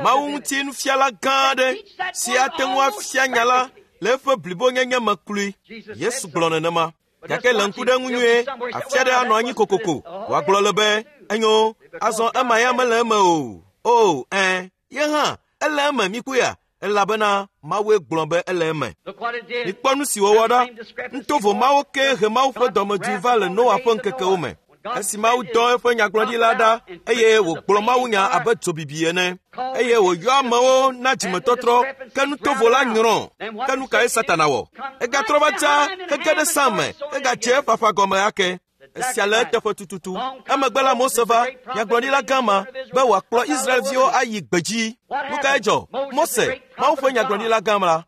Mawu ŋuti nufiala gã aɖe si ate ŋu afia nya la le eƒe blibonyenye me kloe. Yesu gblɔ nenema. Gake le ŋku ɖe ŋu nyuie, afi aɖe anɔ anyi kokoko. Wòagblɔ le be, enyo, azɔ ema ya mele eme o. O, ɛ̃, ye hã, ele eme mikpɔea, elabena Mawue gblɔ be ele eme. Mikpɔ nu si wòwɔ ɖa. Nutovo mawo ke he Mawu ƒe dɔmedzoe va le Noa ƒe ŋkekewo me. Esi Mawu dɔ eƒe nyagblɔɖila ɖa eye wògblɔ mawunya abe dzobibi ene, eye wòyɔ amewo na dzimetɔtrɔ, ke nutovo la nyrɔ. Ke nu kae Satana wɔ? Egatrɔ va tsa hege ɖe sa me, egadze eƒe aƒa gɔme ake. Esia le eteƒe tututu. Emegbe la Mose va, nyagblɔɖila gã ma, be wòakplɔ Israelviwo ayi gbedzi. Nu kae dzɔ? Mose, Mawu ƒe nyagblɔɖila gã la,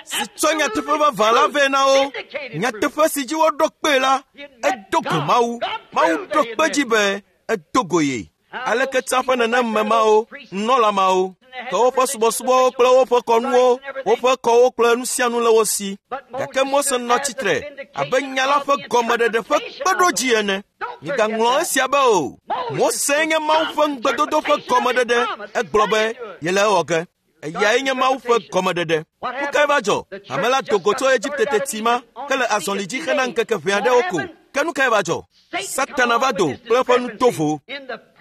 si tsɔ nyateƒe vavã la vɛ na wo, nyateƒe si dzi woɖo kpee la, edo go Mawu. Mawu ɖo kpe dzi be edo go ye. Aleke tsã ƒe neneme mawo, nunɔla mawo, ke woƒe subɔsubɔwo kple woƒe kɔnuwo, woƒe kɔwo kple nu sia nu le wo si. Gake Mose nɔ tsitre abe nya la ƒe gɔmeɖeɖe ƒe kpeɖodzi ene. Migaŋlɔ esia be o. Mose nye Mawu ƒe ŋugbedodo ƒe gɔmeɖeɖe. Egblɔ be yele ewɔ ge. Eyae nye Mawu ƒe gɔmeɖeɖe. Nu kae va dzɔ? Hame la do go tso Egipte teti ma hele azɔli dzi hena ŋkeke ʋɛ aɖewo ko. Ke nu kae va dzɔ? Satana va do kple eƒe nutovo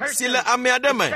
si le ame aɖe me,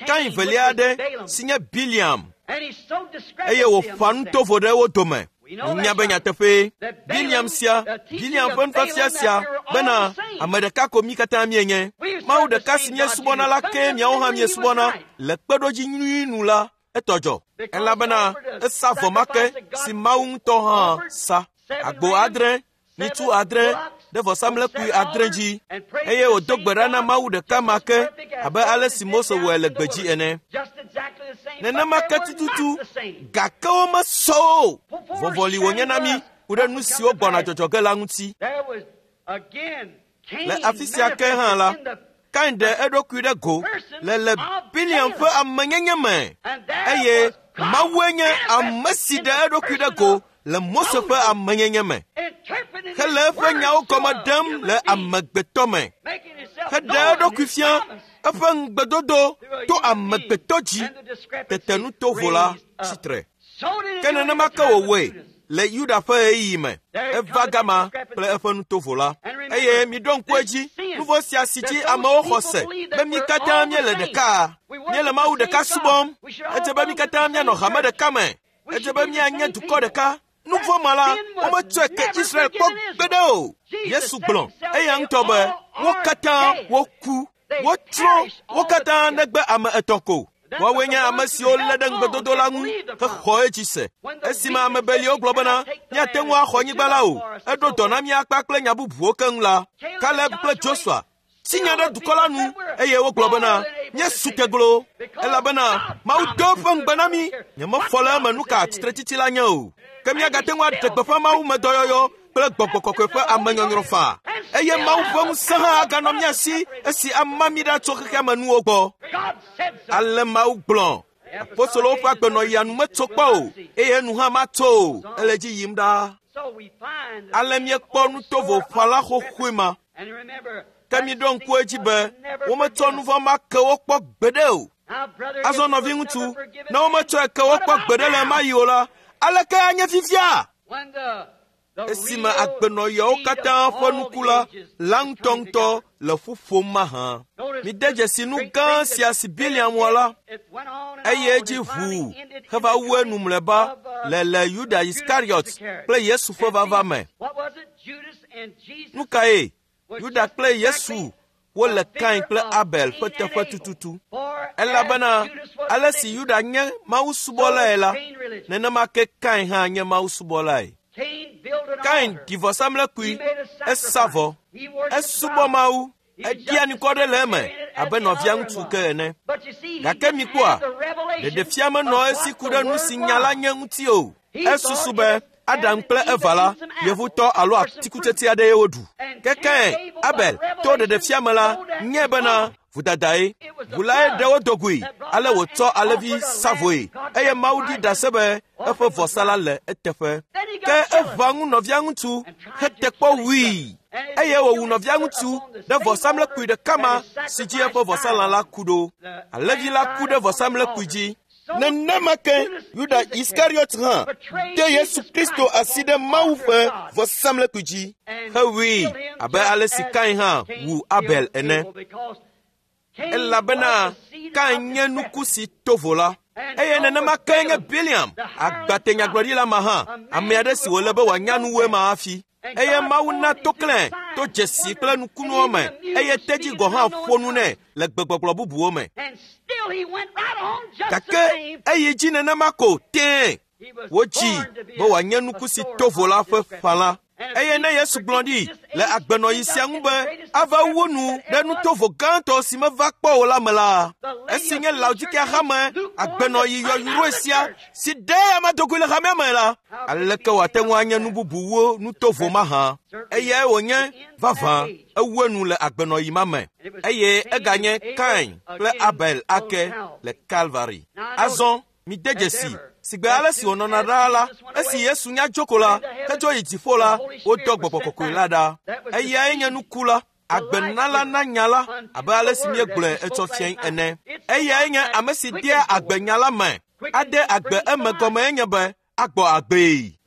Kain velia aɖe si nye Biliam, eye wòƒã nutovo ɖe wo dome. Minya be nyateƒee, Biliam sia, Biliam ƒe nufiafia sia bena ame ɖeka ko mí katã míenye. Mawu ɖeka si míesubɔna la kee miawo hã miesubɔna le kpeɖodzi nyui nu la, etɔ dzɔ. Elabena esa vɔ ma ke si Mawu ŋutɔ hã sa. Agbo adre, nyitsu adre ɖe vɔsamlekpui adre dzi, eye wòdo gbe ɖa na Mawu ɖeka ma ke abe ale si Mose wɔe le gbedzi ene. Nenema ke tututu, gake womesɔ o. Vɔvɔli wònye na mí ku ɖe nu siwo gbɔna dzɔdzɔ ge la ŋuti. Le afi sia ke hã la, Kain ɖe eɖokui ɖe go le le Biliam ƒe amenyenye me, eye Mawue nye ame si ɖe eɖokui ɖe go le Mose ƒe amenyenye me, hele eƒe nyawo gɔme ɖem le amegbetɔ me, heɖe eɖokui fia Eƒe ŋugbedodo to amegbetɔ dzi tete nutovo la tsitre. Ke nenema ke wòwɔe le Yuda ƒe ɣeyiɣi me. Eva gama kple eƒe nutovo la. Eye miɖo ŋku edzi, nu vɔ̃ sia si dzi amewo xɔ se be mí katã míele ɖeka. Míele Mawu ɖeka subɔm. Edze be mí katã míanɔ hame ɖeka me. Edze be míanye dukɔ ɖeka. Nu vɔ̃ ma la, wometsɔe ke Israel kpɔ gbeɖe o. Yesu gblɔ eya ŋutɔ be wo katã woku. Wotsrɔ̃ wo katã negbe ame etɔ̃ ko. Woawoe nye ame siwo lé ɖe ŋugbedodo la ŋu hexɔ edzi se. Esime ame beliwo gblɔ bena míate ŋu axɔ anyigba la o, eɖo dɔ na mí akpa kple nya bubuwo keŋ la, Kaleb kple Josua tsi nya ɖe dukɔ la nu eye wogblɔ bena míesu teglo elabena Mawu do eƒe ŋugbe na mí. Nyemefɔ le eme nu ka tsitretsitsi la nye o. Ke míagate ŋu aɖe gbeƒã Mawu me dɔyɔyɔ kple gbɔgbɔ kɔkɔe ƒe amenyɔnyrɔ faa. Eye Mawu ƒe ŋusẽ hã aganɔ mía si esi ama mí ɖa tso xexea me nuwo gbɔ. Ale Mawu gblɔ. Apostolowo ƒe agbenɔɣia nu metso kpɔ o, eye nu hã matso o. Ele dzi yim ɖaa. Ale míekpɔ nutovo ƒãla xoxoe ma. Ke miɖo ŋku edzi be wometsɔ nu vɔ̃ ma ke wo kpɔ gbeɖe o. Azɔ nɔviŋutsu, ne wometsɔe ke wo kpɔ gbeɖe le ɣemaɣi o la, aleke anye fifia? Esime agbenɔɣiawo katã ƒe nuku la la ŋutɔŋutɔ le ƒu ƒom mahã. Mide dzesi nu gã sia si Biliam wɔ la, eye edzi ʋuu heva wu enu mlɔeba le le Yuda Iskariɔt kple Yesu ƒe vava me. Nu kae? Yuda kple Yesu wole Kain kple Abel ƒe teƒe tututu. Elabena ale si Yuda nye mawusubɔlae la, nenema ke Kain hã nye mawusubɔlae. Kain ɖi vɔsamlekpui, esa vɔ, esubɔ Mawu, eɖia nukɔ ɖe le eme abe nɔvia ŋutsu ke ene. Gake mikpɔa, ɖeɖefia menɔ esi ku ɖe nu si nya la nye ŋuti o. Esusu be Adam kple Eva la, yevutɔ alo atikutsetse aɖee woɖu. Ke Kain, Abel, to ɖeɖefia me la, nye bena vodadae. Ʋu lae ɖe wo dogoe, ale wòtsɔ alẽvi sa vɔe eye Mawu ɖi ɖase be eƒe vɔsa la le eteƒe. Ke eʋã ŋu nɔvia ŋutsu hete kpɔ wui eye wòwu nɔvia ŋutsu ɖe vɔsamlekpui ɖeka ma si dzi eƒe vɔsalã la ku ɖo. Alẽvi la ku ɖe vɔsamlekpui dzi. Nenema ke Yuda Iskariɔt hã de Yesu Kristo asi ɖe Mawu ƒe vɔsamlekpui dzi hewui abe ale si Kain hã wu Abel ene. Elabena Kain nye nuku si to vo la. Eye nenema ke nye Biliam, agbatenyagblɔɖila ma hã, ame aɖe si wòle be wòanya nu wu ema hafi. Eye Mawu na toklẽ to dzesi kple nukunuwo me, eye tedzi gɔ̃ hã ƒo nu nɛ le gbegbɔgblɔ bubuwo me. Gake eyi dzi nenema ko tẽe. Wodzi be wòanye nuku si to vo la ƒe ƒãla. Eye ne Yesu gblɔ ɖi le agbenɔɣi sia ŋu be ava wu nu ɖe nutovo gãtɔ si meva kpɔ o la me la, esi nye Laodikea hame agbenɔɣi yɔyrɔe sia si ɖe ame dogoe le hamea me la, aleke wòate ŋu anye nu bubu wu nutovo mahã? Eyae wònye vavã ewu enu le agbenɔɣi ma me. Eye eganye Kain kple Abel ake le Kalvari. Azɔ mide dzesi sigbe ale si wònɔna ɖaa la, esi Yesu nya dzo ko la, hedzo yi dziƒo la, wodɔ gbɔgbɔ kɔkɔe la ɖa. Eyae nye nuku la, agbenala na nya la, abe ale si míegblɔe etsɔ fiae ene. Eyae nye ame si dea agbe nya la me. Ade agbe eme gɔmee nye be agbɔ agbee.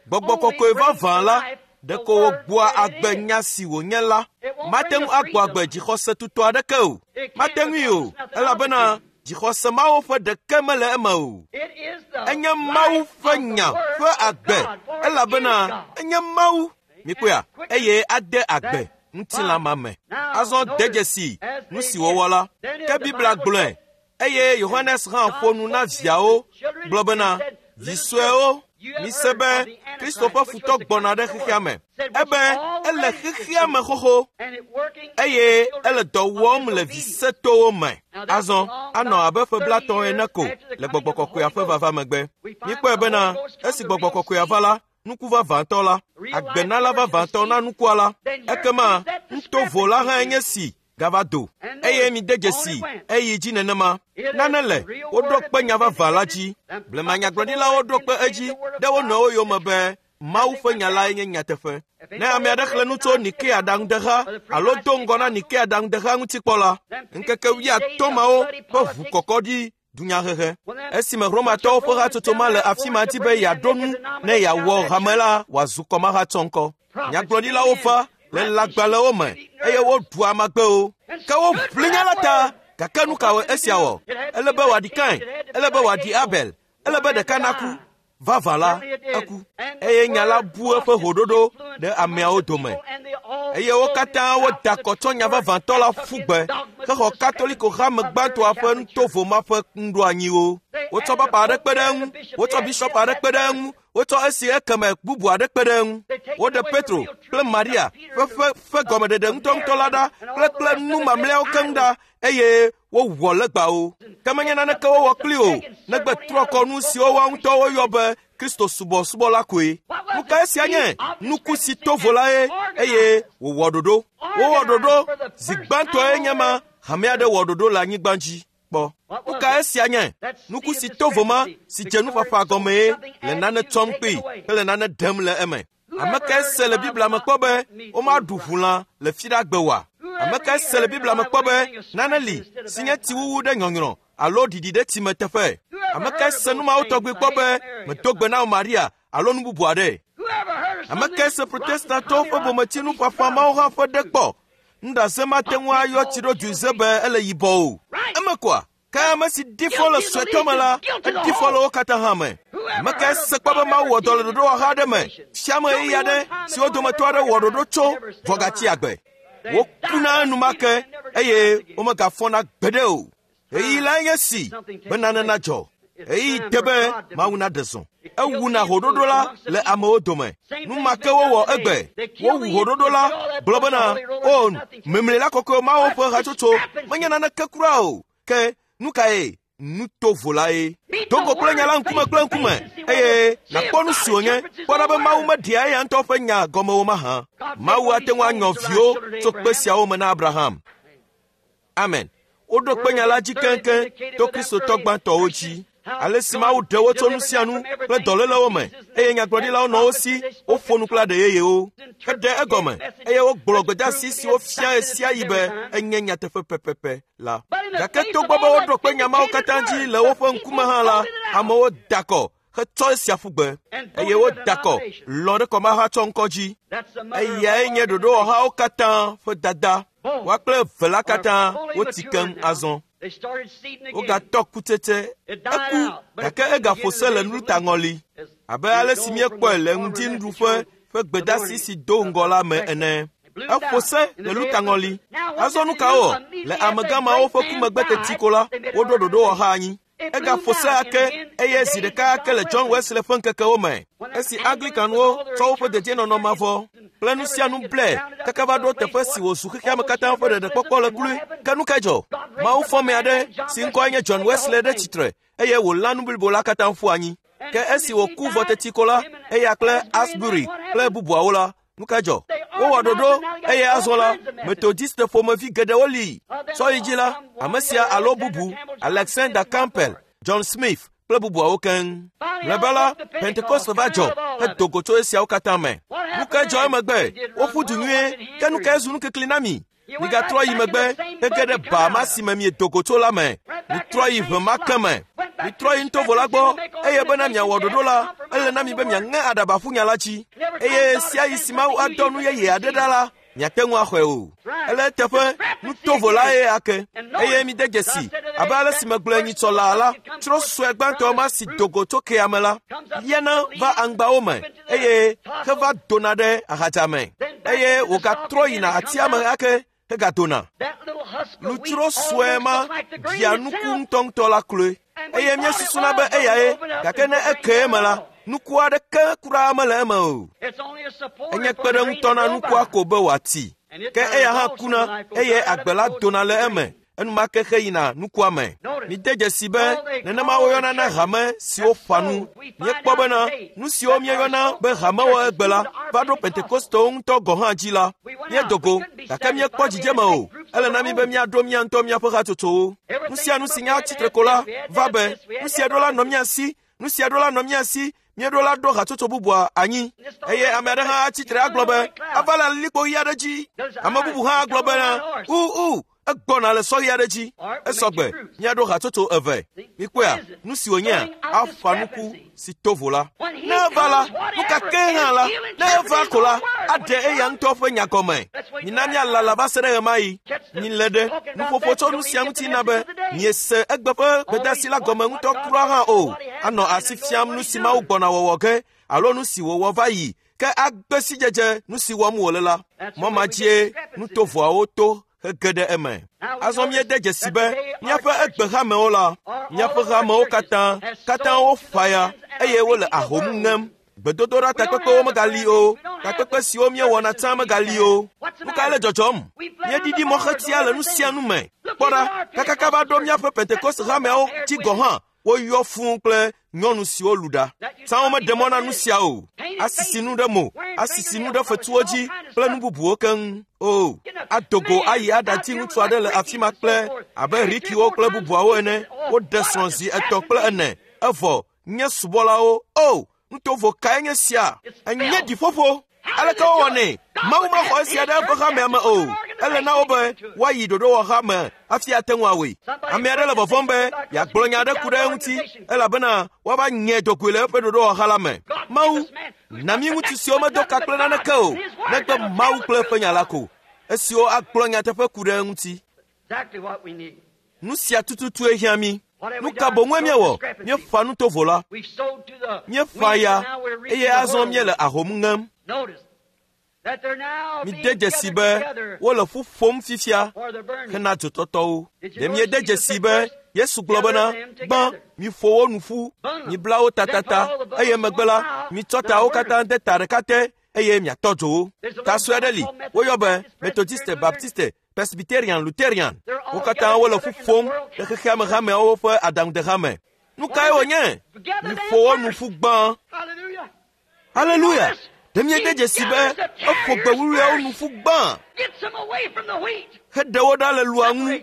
Gbɔgbɔ kɔkɔe vavã la, ɖeko wògbɔa agbe nya si wònye la. Mate ŋu agbɔ agbe dzixɔse tutɔ aɖeke o. Mate ŋui o, elabena dzixɔse mawo ƒe ɖeke mele eme o. Enye Mawu ƒe nya ƒe agbe, elabena enye Mawu. Mikpɔea, eye ade agbe ŋutilã ma me. Azɔ de dzesi nu si wòwɔ la. Ke Biblia gblɔe, eye Yohanes hã ƒo nu na viawo gblɔ bena, vi suewo, mise be Kristo ƒe futɔ gbɔna ɖe xexea me. Ebe ele xexea me xoxo eye ele dɔ wɔm le visetowo me. Azɔ anɔ abe ƒe blatɔ̃ ene ko le gbɔgbɔ kɔkɔea ƒe vava megbe. Míekpɔe bena esi gbɔgbɔ kɔkɔea va la, nuku vavãtɔ la, agbenala vavãtɔ na nukua la, ekema nutovo la hã nye si gava do. Eye mide dzesi eyi dzi nenema. Nane le woɖo kpe nya vavã la dzi. Blema nyagblɔɖilawo ɖo kpe edzi ɖe wo nɔewo yome be Mawu ƒe nya lae nye nyateƒe. Ne ame aɖe xlẽ nu tso Nikea ɖaŋudeha alo do ŋgɔ na Nikea ɖaŋudeha ŋuti kpɔ la, ŋkeke wuiatɔ̃ mawo ƒe ʋukɔkɔ ɖi dunyahehe. Esime Romatɔwo ƒe hatsotso ma le afi ma di be yeaɖo nu ne yeawɔ hame la wòazu kɔmahatsɔŋkɔ. Nyagblɔɖilawo va le lãgbalẽwo me eye woɖu amagbewo. Ke woʋli nya la ta, gake nu kawoe esia wɔ? Ele be wòaɖi Kain, ele be wòaɖi Abel, ele be ɖeka naku. Vavã la, eku. Eye nya la bu eƒe hoɖoɖo ɖe ameawo dome. Eye wo katã woda akɔ tsɔ nya vavãtɔ la ƒu gbe hexɔ Katoliko hame gbãtɔa ƒe nutovo ma ƒe nuɖoanyiwo. Wotsɔ papa aɖe kpe ɖe eŋu, wotsɔ bishɔp aɖe kpe ɖe eŋu, wotsɔ esi ekeme bubu aɖe kpe ɖe eŋu. Woɖe Petro kple Maria ƒe ƒe ƒe gɔmeɖeɖe ŋutɔŋutɔ la ɖa kple kple nu mamlɛawo keŋ ɖa eye wowɔ legbawo. Ke menye naneke wowɔ kpli o, negbe trɔ kɔnu siwo woa ŋutɔ woyɔ be Kristo subɔsubɔ la koe. Nu ka esia nye? Nuku si to vo lae eye wòwɔ ɖoɖo. Wowɔ ɖoɖo zi gbãtɔe nye ma hame aɖe wɔ ɖoɖo le anyigba dzi kpɔ. Nu ka esia nye? Nuku si to vo ma si dze nuƒaƒã gɔmee le nane tsɔm kpee hele nane ɖem le eme. Ame kae se le Biblia me kpɔ be womaɖu ʋulã le fiɖagbe oa? Ame kae se le Biblia me kpɔ be nane li si nye tsiwuwu ɖe nyɔnyrɔ alo ɖiɖi ɖe tsime teƒe? Ame kae se nu mawo tɔgbi kpɔ be medo gbe na Maria alo nu bubu aɖe? Ame kae se Protestantɔwo ƒe bometsinu ƒaƒã mawo hã ƒe ɖe kpɔ? Nuɖase mate ŋu ayɔ tsiɖodzui be ele yibɔ o. Eme koa? Ke ame si ɖi fɔ le suetɔ me la, eɖi fɔ le wo katã hã me. Ame kae se kpɔ be Mawu wɔ dɔ le ɖoɖowɔha aɖe me, fiame ɣeyiɣi aɖe si wo dometɔ aɖe wɔ ɖoɖo tso vɔ gatsi agbe. Wokuna enumake eye womegafɔna gbeɖe o. Ɣeyiɣi lae nye si be nane nadzɔ. Ɣeyiɣi de be Mawu naɖe zɔ. Ewuna hoɖoɖo la le amewo dome. Nu ma ke wowɔ egbe. Wowu hoɖoɖo la gblɔ bena, o memlila kɔkɔe mawo ƒe hatsotso menye naneke kura o. Ke nu kae? Nu tovo lae. Do go kple nya la ŋkume kple ŋkume eye nàkpɔ nu si wònye. Kpɔ ɖa be Mawu meɖea eya ŋutɔ ƒe nya gɔme o mahã. Mawu ate ŋu anyɔ viwo tso kpe siawo me na Abraham. Amen. Woɖo kpe nya la dzi keŋkeŋ to Kristotɔ gbãtɔwo dzi. Ale si Mawu ɖe wo tso nu sia nu kple dɔlélewo me eye nyagblɔɖilawo nɔ wo si woƒo nu kple aɖe yeyewo. Heɖe egɔme eye wogblɔ gbedeasi si wofia ɣe sia ɣi be enye nyateƒe pɛpɛpɛ la. Gake togbɔ be woɖo kpe nya mawo katã dzi le woƒe ŋkume hã la, amewo da akɔ hetsɔ esia ƒu gbe eye woda akɔ lɔ̃ ɖe kɔmahatsɔŋkɔ dzi. Eyae nye ɖoɖowɔhawo katã ƒe dada. Woa kple eve la katã wotsi keŋ azɔ. Wogatɔ kutsetse. Eku gake egaƒo se le nutaŋɔli abe ale si míekpɔe le ŋutinuɖuƒe ƒe gbedeasi si do ŋgɔ la me ene. Eƒo se le lutaŋɔli. Azɔ nu ka wɔ? Le amegã mawo ƒe ku megbe teti ko la, woɖo ɖoɖowɔha anyi. Egaƒo se ake eye zi ɖeka ake le John Wesley ƒe ŋkekewo me. Esi Anglicanwo tsɔ woƒe dedienɔnɔ mavɔ kple nu sia nu blɛ kaka va ɖo teƒe si wòzu xexeame katã ƒe ɖeɖekpɔkpɔ le kloe. Ke nu kae dzɔ? Mawu fɔ ame aɖe si ŋkɔe nye John Wesley ɖe tsitre eye wòlã nu blibo la katã ƒu anyi. Ke esi wòku vɔ teti ko la, eya kple Asbury kple bubuawo la, nu kae dzɔ? Wowɔ ɖoɖo eye azɔ la, Methodiste ƒomevi geɖewo li. Sɔ yi dzi la, ame sia alo bubu, Alexander Campbell, John Smith kple bubuawo keŋ. Mlɔeba la, Pentekoste va dzɔ hedo go tso esiawo katã me. Nu kae dzɔ emegbe? Woƒu du nyuie, ke nu kae zu nukikli na mi? Migatrɔ yi megbe hege ɖe ba ma si me miedo go tso la me. Mitrɔ yi ʋe ma ke me. Mitrɔ yi nutovo la gbɔ eye bena miawɔ ɖoɖo la, ele na mi be miaŋe aɖaba ƒu nya la dzi. Eye sia yi si Mawu adɔ nu yeye aɖe ɖa la, miate ŋu axɔe o. Ele eteƒe nutovo lae ake. Eye mide dzesi abe ale si megblɔe nyitsɔ laa la, tsro sue gbãtɔ ma si do go tso kea me la, liana va aŋgbawo me eye heva dona ɖe ahadza me. Eye wògatrɔ yina atia me ake hegadona. Lutsro sue ma ɖia nuku ŋutɔŋutɔ la kloe. Eye míesusuna be eyae, gake ne eke eme la, nuku aɖeke kura mele eme o. Enye kpeɖeŋutɔ na nukua ko be wòati. Ke eya hã kuna eye agbe la dona le eme enumake heyina nukua me. Mide dzesi be nenema woyɔna na hame siwo ƒã nu. Míekpɔ bena nu siwo míeyɔna be hamewɔ egbe la va ɖo Pentekostewo ŋutɔ gɔ̃ hã dzi la. Míedo go gake míekpɔ dzidzeme o. Ele na mí be míaɖo mía ŋutɔ míaƒe hatsotsowo. Nu sia nu si nya tsitre ko la va be nu sia ɖo la nɔ mía si, nu sia ɖo la nɔ mía si, Míeɖo la ɖo hatsotso bubua anyi. Eye ame aɖe hã atsi tre agblɔ be ava le alilikpo ɣi aɖe dzi. Ame bubu hã agblɔ bena u u egbɔna le sɔ ɣi aɖe dzi. Esɔgbe míaɖo hatsotso eve. Mikpɔea nu si wònyea aƒa nuku si to vo la. Ne eva la, nu ka ke hã la, ne eva ko la, aɖe eya ŋutɔ ƒe nya gɔme. Mina míalala va se ɖe ɣemaɣi. Milé ɖe nuƒoƒo tso nu sia ŋuti na be miese egbe ƒe gbedeasi la gɔme ŋutɔ kura hã o. Anɔ asi fiam nu si Mawu gbɔna wɔwɔ ge alo nu si wòwɔ va yi ke agbe sidzedze nu si wɔm wòle la. Mɔ ma dzie nutovoawo to hege ɖe eme. Azɔ míede dzesi be míaƒe egbehamewo la, míaƒe hamewo katã katã wofa ya eye wole ahom ŋem. Gbedodoɖa takpekpewo megali o. Takpekpe siwo míewɔna tsã megali o. Nu kae le dzɔdzɔm? Míeɖiɖi mɔxetia le nu sia nu me. Kpɔ ɖa, kakaka va ɖo míaƒe Pentekoste hameawo dzi gɔ̃ hã, woyɔ fũu kple nyɔnu siwo lu ɖa. Tsã womeɖe mɔ na nu sia o. Asisi nu ɖe mo, asisi nu ɖe fetuwo dzi kple nu bubuwo keŋ. O, ado go ayi aɖati ŋutsu aɖe le afi ma kple abe Rikiwo kple bubuawo ene. Woɖe srɔ̃ zi etɔ̃ kple ene. Evɔ nye subɔlawo. O, nutovo kae nye sia? Enye ɖiƒoƒo. Aleke wowɔnɛ? Mawu mexɔ esia ɖe eƒe hamea me o. Ele na wo be woayi ɖoɖowɔha me hafi ate ŋu awɔe. Ame aɖe le vɔvɔ̃m be yeagblɔ nya aɖe ku ɖe eŋuti elabena woava nye dogoe le eƒe ɖoɖowɔha la me. Mawu, na mí ŋutsu siwo medo ka kple naneke o, negbe Mawu kple eƒe nya la ko, esiwo agblɔ nyateƒe ku ɖe eŋuti. Nu sia tututue hiã mí. Nu ka boŋue míewɔ? Míeƒã nutovo la. Míeƒã ya eye azɔ míele ahom ŋem. Mide dzesi be wole ƒu ƒom fifia hena dzotɔtɔwo. Ɖe miede dzesi be Yesu gblɔ bena, gbã, miƒo wo nu ƒu, mibla wo tatata, eye megbe la, mitsɔ tawo katã de ta ɖeka te eye miatɔ dzo wo. Ta sue aɖe li, woyɔ be Methodiste, Baptiste, Presbyterian, Lutherian. Wo katã wole ƒu ƒom le xexea me hameawo ƒe aɖaŋudehame. Nu kae wònye? Miƒo wo nu ƒu gbã. Haleluya! Ɖe miede dzesi be eƒo gbe wuwluiawo nu ƒu gbã heɖe wo ɖa le lua ŋu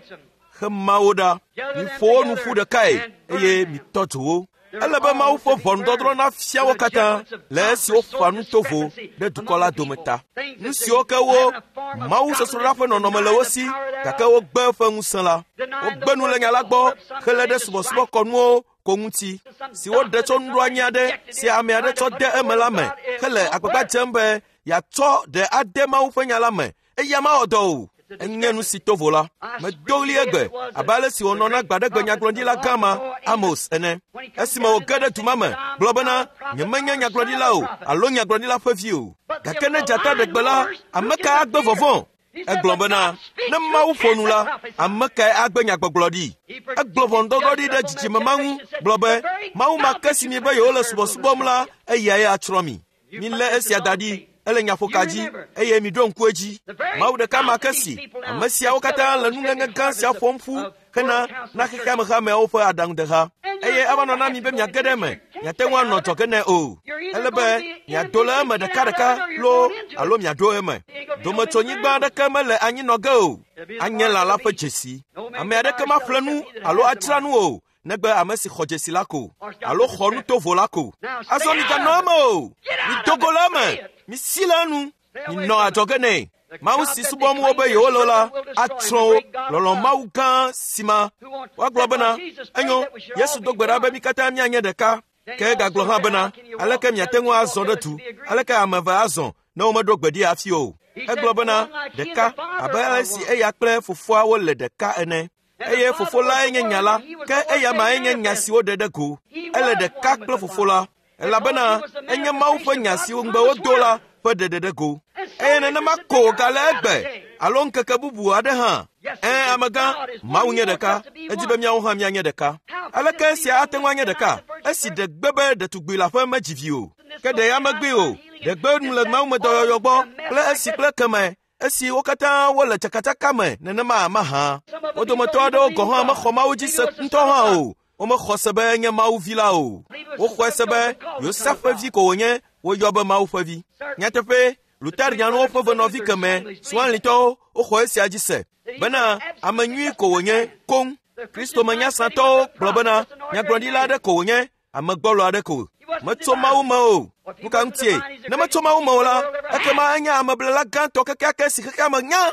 hema wo ɖa. Miƒo wo nu ƒu ɖekae eye mitɔ dzo wo. Ele be Mawu ƒe ʋɔnudɔdrɔ̃ nafia wo katã le esi woƒã nu tovo ɖe dukɔ la dome ta. Nu siwo ke wo Mawu sɔsrɔ̃ɖa ƒe nɔnɔme le wo si gake wogbe eƒe ŋusẽ la. Wogbe nu le nya la gbɔ hele ɖe subɔsubɔkɔnuwo ko ŋuti si woɖe tso nuɖoanyi aɖe si ame aɖe tsɔ de eme la me hele agbagba dzem be yeatsɔ ɖe ade Mawu ƒe nya la me. Eya mawɔ dɔ o. Enye nu si to vo la. Medo ɣli egbe abe ale si wònɔ na gbaɖegbe nyagblɔɖila gã ma Amos ene. Esime wòge ɖe du ma me, gblɔ bena, nyemenye nyagblɔɖila o alo nyagblɔɖila ƒe vi o. Gake ne dzata ɖe gbe la, ame kae agbe vɔvɔ̃? Egblɔ bena, ne Mawu ƒo nu la, ame kae agbe nyagbɔgblɔ ɖi? Egblɔ ʋɔnudɔdrɔ̃ ɖi ɖe dzidzime ma ŋu, gblɔ be, Mawu ma ke si mi be yewole subɔsubɔm la, eyae atsrɔ̃ mi. Milé esia da ɖi. Ele nyaƒoka dzi eye miɖo ŋku edzi. Mawu ɖeka ma ke si ame siawo katã le nuŋeŋe gã sia ƒom ƒu hena na xexea me hameawo ƒe aɖaŋudeha. Eye ava nɔ na mi be miage ɖe eme, miate ŋu anɔ dzɔge nɛ o. Ele be miado le eme ɖekaɖeka loo alo miaɖo eme. Dometsonyigba aɖeke mele anyi nɔ ge o. Anye lã la ƒe dzesi. Ame aɖeke maƒle nu alo adzra nu o. Negbe ame si xɔ dzesi la ko alo xɔ nu tovo la ko. Azɔ miganɔ eme o. Mido go le eme. Misi le enu. Minɔ adzɔge nɛ. Mawu si subɔm wo be yewole la atsrɔ̃ wo. Lɔlɔ̃ Mawu gã si ma. Woagblɔ bena, enyo, Yesu do gbe ɖa be mi katã míanye ɖeka. Ke egagblɔ hã bena, aleke miate ŋu azɔ ɖe du? Aleke ame eve azɔ ne womeɖo gbe ɖi hafi o? Egblɔ bena, ɖeka, abe ale si eya kple fofoa wole ɖeka ene. Eye fofo lae nye nya la, ke eya mae nye nya si woɖe ɖe go. Ele ɖeka kple fofo la, elabena enye Mawu ƒe nya si ŋugbe wodo la ƒe ɖeɖe ɖe go. Eye nenema ko wògale egbe alo ŋkeke bubu aɖe hã. Ẽ, amegã, Mawu nye ɖeka, edi be míawo hã míanye ɖeka. Aleke esia ate ŋu anye ɖeka? Esi ɖe gbe be ɖetugbui leaƒe medzi vi o. Ke ɖe ya megbee o. Ɖe gbe nu le mawumedɔyɔyɔ gbɔ kple esi kple keme. Esi wo katã wole tsakatsaka me nenema mahã. Wo dometɔ aɖewo gɔ̃ hã mexɔ Mawu dzi se ŋutɔ hã o. Womexɔ se be enye Mawu vi la o. Woxɔe se be Yosef ƒe vi ko wònye, woyɔ be Mawu ƒe vi. Nyateƒe, Lutherianwo ƒe venɔvi keme, Swanlitɔwo, woxɔ esia dzi se bena ame nyui ko wònye koŋ. Kristo menyasãtɔwo gblɔ bena nyagblɔɖila aɖe ko wònye, ame gbɔlo aɖe ko. Metso Mawu me o. Nu ka ŋutie? Ne metso Mawu me o la, ekema enye ameblela gãtɔ kekeake si xexea me nya.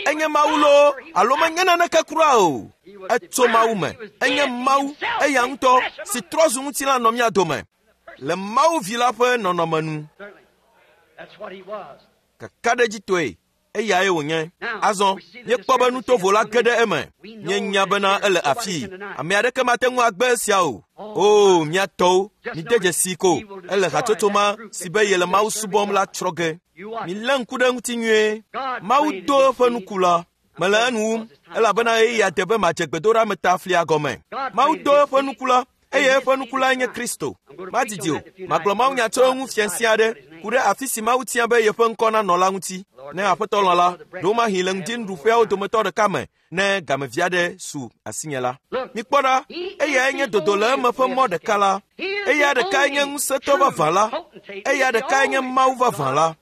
Enye Mawu loo alo menye naneke kura o. Etso Mawu me. Enye Mawu eya ŋutɔ si trɔ zu ŋutilã nɔ mía dome le Mawu vi la ƒe nɔnɔme nu. Kakaɖedzitɔe eyae wònye. Azɔ míekpɔ be nutovo la ge ɖe eme. Míenya bena ele afii. Ame aɖeke mate ŋu agbe esia o. O, mía tɔwo, mide dzesi ko ele hatsotso ma si be yele Mawu subɔm la tsrɔ̃ ge. Milé ŋku ɖe eŋuti nyuie. Mawu do eƒe nuku la. Mele enu wum elabena ɣeyiɣia de be madze gbedoɖa ta flia gɔme. Mawu do eƒe nuku la eye eƒe nuku lae nye Kristo. Madidi o, magblɔ mawunya tso eŋu fiasia aɖe ku ɖe afi si Mawu tia be yeƒe ŋkɔ nanɔ la ŋuti. Ne Aƒetɔ lɔ̃ la, ɖewomahi le ŋdinuɖuƒeawo dometɔ ɖeka me ne gamevi aɖe su asinye la. Mikpɔ ɖa, eyae nye dodo le eme ƒe mɔ ɖeka la. Eya ɖekae nye ŋusẽtɔ vavã la. Eya ɖekae nye Mawu vavã la.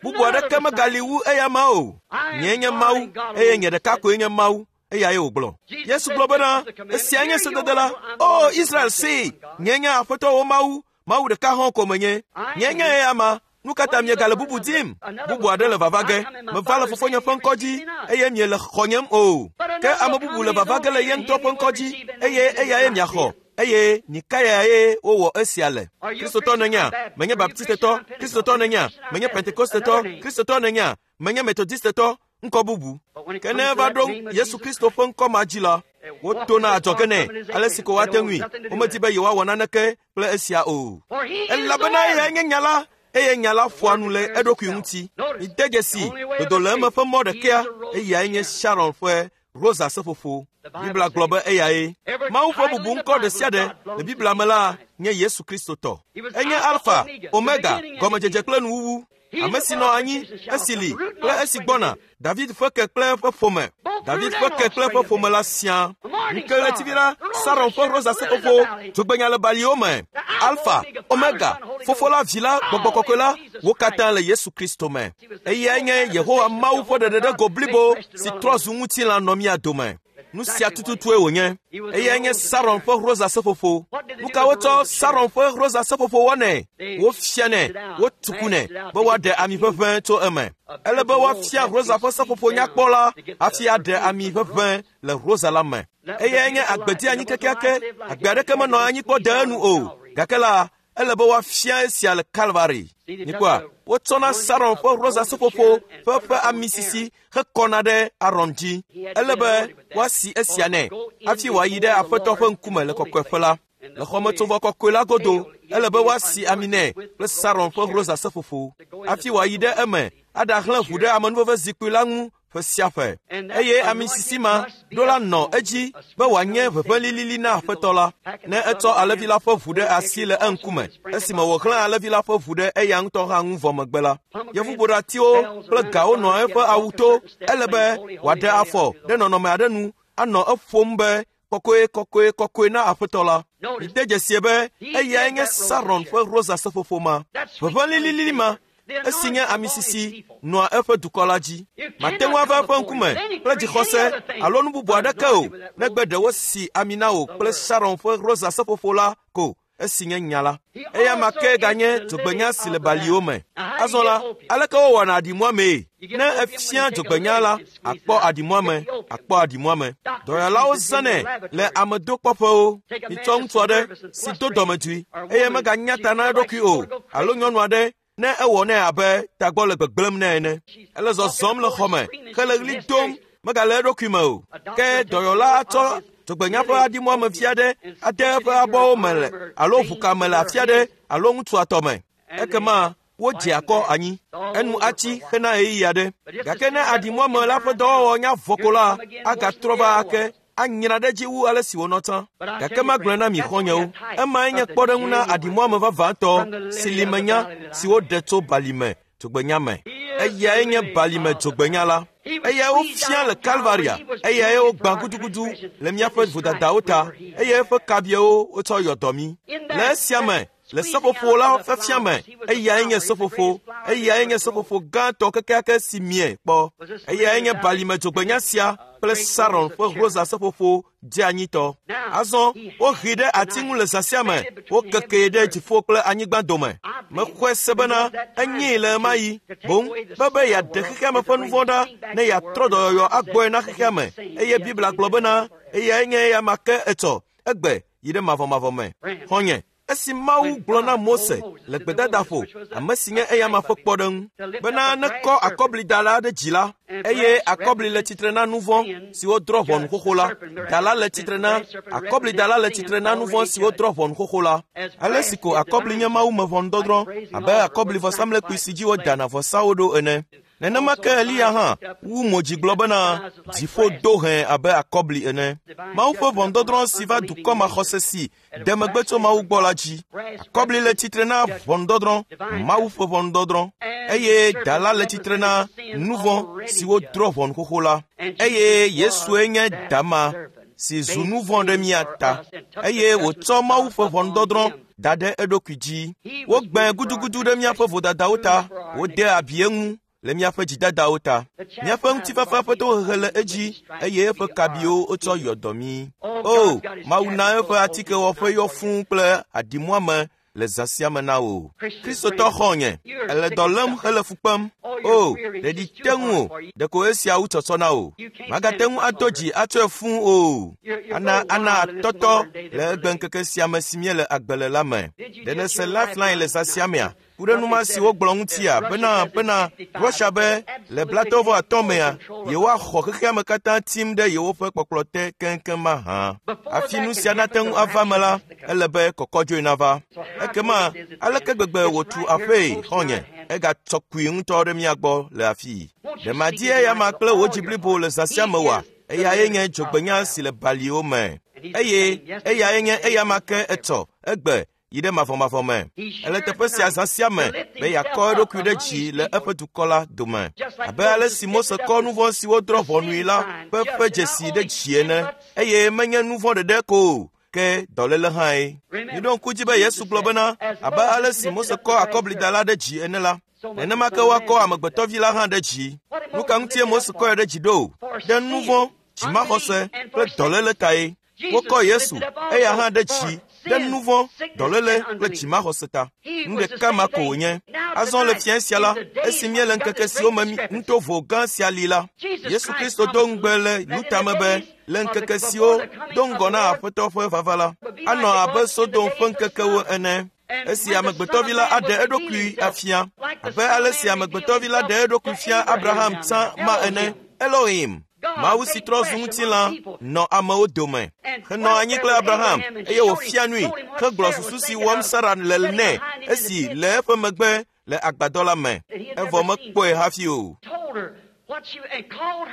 Bubu aɖeke megali wu eya ma o. Nyee nye Mawu, eye nye ɖeka koe nye Mawu. Eyae wògblɔ. Yesu gblɔ bena, esia nye sedede la. O Israel see, nye nye Aƒetɔ wò Mawu, Mawu ɖeka hã ko menye. Nye nye eya ma. Nu ka ta miegale bubu dim? Bubu aɖe le vava ge. Meva le fofonye ƒe ŋkɔ dzi eye miele xɔnyem o. Ke ame bubu le vava ge le ye ŋutɔ ƒe ŋkɔ dzi eye eyae miaxɔ. Eye Nikayae wowɔ esia le. Kristotɔ nènyea? Menye Baptistetɔ. Kristotɔ nènyea? Menye Pentekostetɔ. Kristotɔ nènyea? Menye Metodistetɔ. Ŋkɔ bubu. Ke ne eva ɖo Yesu Kristo ƒe ŋkɔ ma dzi la, wotona adzɔge nɛ ale si ko woate ŋui. Womedi be yewoawɔ naneke kple esia o. Elabena eyae nye nya la, eye nya la ƒoa nu le eɖokui ŋuti. Mide dzesi dodo le eme ƒe mɔ ɖekea, eyae nye Sharon ƒe rosa seƒoƒo. Biblia gblɔ be eyae. Mawu ƒe bubu ŋkɔ ɖe sia ɖe le Biblia me la nye Yesu Kristo tɔ. Enye Alfa, Omega, gɔmedzedze kple nuwuwu. Ame si nɔ anyi, esi li kple esi gbɔna, David ƒe ke kple eƒe ƒome. David ƒe ke kple eƒe ƒome la siaa. Ŋukeɣletivi la, Saron ƒe rosa seƒoƒo, dzogbenya le baliwo me. Alfa, Omega, Fofo la, Vi la, Gbɔgbɔ Kɔkɔe la, wo katã le Yesu Kristo me. Eyae nye Yehowa Mawu ƒe ɖeɖeɖego blibo si trɔ zu ŋutilã nɔ mía dome. Nu sia tututue wònye. Eyae nye Saron ƒe rosa seƒoƒo. Nu ka wotsɔ Saron ƒe rosa seƒoƒo wɔnɛ? Wofianɛ, wotukunɛ be woaɖe ami ʋeʋẽ tso eme. Ele be woafia rosa ƒe seƒoƒo nyakpɔ la hafi aɖe ami ʋeʋẽ le rosa la me. Eyae nye agbedianyi kekeake. Agbe aɖeke menɔ anyi kpɔ de enu o. Gake la, ele be woafia esia le Kalvari. Mikpɔa, wotsɔna Saron ƒe rosa seƒoƒo ƒe ƒe ami sisi hekɔna ɖe Aron dzi. Ele be woasi esia nɛ hafi wòayi ɖe Aƒetɔ ƒe ŋkume le kɔkɔeƒe la. Le xɔmetsovɔ kɔkɔe la godo, ele be woasi ami nɛ kple Saron ƒe rosa seƒoƒo hafi wòayi ɖe eme aɖahlẽ ʋu ɖe amenuveve zikpui la ŋu ƒe sia ƒe. Eye ami sisi ma ɖo la nɔ edzi be wòanye ʋeʋẽ lilili na Aƒetɔ la ne etsɔ alẽvi la ƒe ʋu ɖe asi le eŋkume esime wòxlẽ alẽvi la ƒe ʋu ɖe eya ŋutɔ hã ŋu vɔ megbe la. Yevuboɖatiwo kple gawo nɔ eƒe awu to. Ele be wòaɖe afɔ ɖe nɔnɔme aɖe nu anɔ eƒom be kɔkɔe kɔkɔe kɔkɔe na Aƒetɔ la. Mide dzesie be eyae nye Saron ƒe rosa seƒoƒo ma, ʋeʋẽ lilili ma, esi nye ami sisi nɔa eƒe dukɔ la dzi. Mate ŋu ava eƒe ŋkume kple dzixɔse alo nu bubu aɖeke o, negbe ɖe wosi ami na wò kple Saron ƒe rosa seƒoƒo la ko, esi nye nya la. Eya ma ke ganye dzogbenya si le baliwo me. Azɔ la, aleke wowɔna aɖimuamee? Ne efia dzogbenya la, akpɔ aɖimuame, akpɔ aɖimuame. Dɔyɔlawo zãnɛ le amedokpɔƒewo. Mitsɔ ŋutsu aɖe si do dɔmedzoe eye meganya ta na eɖokui o, alo nyɔnu aɖe ne ewɔ nɛ abe tagbɔ le gbegblẽm nɛ ene. Ele zɔzɔm le xɔme hele ɣli dom megale eɖokui me o. Ke dɔyɔla atsɔ dzogbenya ƒe aɖimuame vi aɖe ade eƒe abɔwo me le alo ʋuka me le afi aɖe alo ŋutsua tɔ me. Ekema wodze akɔ anyi. Enu atsi hena ɣeyiɣi aɖe. Gake ne aɖimuame la ƒe dɔwɔwɔ nya vɔ ko la, agatrɔ va ake anyra ɖe edzi wu ale si wònɔ tsã. Gake magblɔe na mi xɔ̃nyewo, emae nye kpɔɖeŋu na aɖimuame vavãtɔ si li menya si woɖe tso balime dzogbenya me. Eyae nye balime dzogbenya la. Eyae wofia le Kalvaria. Eyae wogbã gudugudu le míaƒe vodadawo ta eye eƒe kabiawo wotsɔ yɔ dɔ mí. Le esia me, Le seƒoƒo la ƒe me, eyae nye seƒoƒo, eyae nye seƒoƒo gãtɔ kekeake si mie kpɔ. Eyae nye balime dzogbenya sia kple Saron ƒe rosa seƒoƒo dzeanyitɔ. Azɔ wohee ɖe ati ŋu le zã sia me, wokekee ɖe dziƒo kple anyigba dome. Mexɔe se bena enyee le ɣe ma ɣi boŋ be be yeaɖe xexea me ƒe nu vɔ̃ ɖa ne yeatrɔ dɔyɔyɔ agbɔe na xexea me. Eye Biblia gblɔ bena eyae nye eya ma ke etsɔ egbe yi ɖe mavɔmavɔ me. Xɔ̃nye, esi Mawu gblɔ na Mose le gbedadaƒo, ame si nye eyama ƒe kpɔɖeŋu, bena nekɔ akɔblida la ɖe dzi la, eye akɔbli le tsitre na nu vɔ̃ si wodrɔ̃ ʋɔnu xoxo la. Da la le tsitre na akɔblida la le tsitre na nu vɔ̃ si wodrɔ̃ ʋɔnu xoxo la. Ale si ko akɔbli nye Mawu me ʋɔnudɔdrɔ̃ abe akɔblivɔsamlekpui si dzi wodana vɔsawo ɖo ene. Nenema ke Eliya hã wu mo dzi gblɔ bena dziƒo do hẽ abe akɔbli ene. Mawu ƒe ʋɔnudɔdrɔ̃ si va dukɔ maxɔse si de megbe tso Mawu gbɔ la dzi. Akɔbli le tsitre na ʋɔnudɔdrɔ̃, Mawu ƒe ʋɔnudɔdrɔ̃, eye da la le tsitre na nu vɔ̃ si wodrɔ̃ ʋɔnu xoxo la. Eye Yesue nye da ma si zu nu vɔ̃ ɖe mía ta, eye wòtsɔ Mawu ƒe ʋɔnudɔdrɔ̃ da ɖe eɖokui dzi. Wogbãe gudugudu ɖe míaƒe vodadawo ta, wode abi eŋu le míaƒe dzidadawo ta. Míaƒe ŋutifafa ƒe tohehe le edzi, eye eƒe kabiwo wotsɔ yɔ dɔ mí. O, Mawu na eƒe atikewɔƒe yɔ fũu kple aɖimuame le zã sia me na wò. Kristotɔ xɔ̃nye, èle dɔ lém hele fu kpem. O, ɖeɖi te ŋu o, ɖeko esia wu tsɔtsɔ na wò. Màgate ŋu ado dzi atsɔe fũu o. Ana ana atɔtɔ le egbeŋkeke sia me si míele agbe le la me. Ɖe nèse Lifeline le zã sia mea? Ku ɖe nu ma si wogblɔ ŋutia bena bena Russia be le blatɔ vɔ atɔ̃ mea yewoaxɔ xexea me katã tim ɖe yewoƒe kpɔkplɔ te keŋkeŋ mahã. Hafi nu sia nate ŋu ava me la, ele be kɔkɔdzoe nava. Ekema aleke gbegbe wòtu aƒee xɔ̃nye, egatsɔ kui ŋutɔ ɖe mía gbɔ le afii. Ɖe madi eyama kple wò dzi blibo le zã sia me oa? Eyae nye dzogbenya si le baliwo me. Eye eyae nye eyama ke etsɔ egbe yi ɖe mavɔmavɔ me. Ele teƒe sia zã sia me be yeakɔ eɖokui ɖe dzi le eƒe dukɔ la dome. Abe ale si Mose kɔ nu vɔ̃ si wodrɔ̃ ʋɔnui la ƒe ƒe dzesi ɖe dzi ene, eye menye nu vɔ̃ ɖeɖe ko o, ke dɔléle hãe. Miɖo ŋku dzi be Yesu gblɔ bena abe ale si Mose kɔ akɔblida la ɖe dzi ene la, nenema ke woakɔ amegbetɔvi la hã ɖe dzi. Nu ka ŋutie Mose kɔe ɖe dzi ɖo? Ɖe nu vɔ̃, dzimaxɔse kple dɔléle tae. Wokɔ Yesu, eya hã ɖe dzi ɖe nu vɔ̃, dɔléle kple dzimaxɔse ta. Nu ɖeka ma ko wònye. Azɔ le fiẽ sia la, esi míele ŋkeke siwo me nutovo gã sia li la, Yesu Kristo do ŋugbe le Luta me be le ŋkeke siwo do ŋgɔ na Aƒetɔ ƒe vava la, anɔ abe Sodom ƒe ŋkekewo ene. Esi amegbetɔvi la aɖe eɖokui afia, abe ale si amegbetɔvi la ɖe eɖokui fia Abraham tsã ma ene. Elohim, Mawu si trɔ zu ŋutilã nɔ amewo dome, henɔ anyi kple Abraham, eye wòfia nui, hegblɔ susu si wɔm Sara le nɛ esi le eƒe megbe le agbadɔ la me, evɔ mekpɔe hafi o.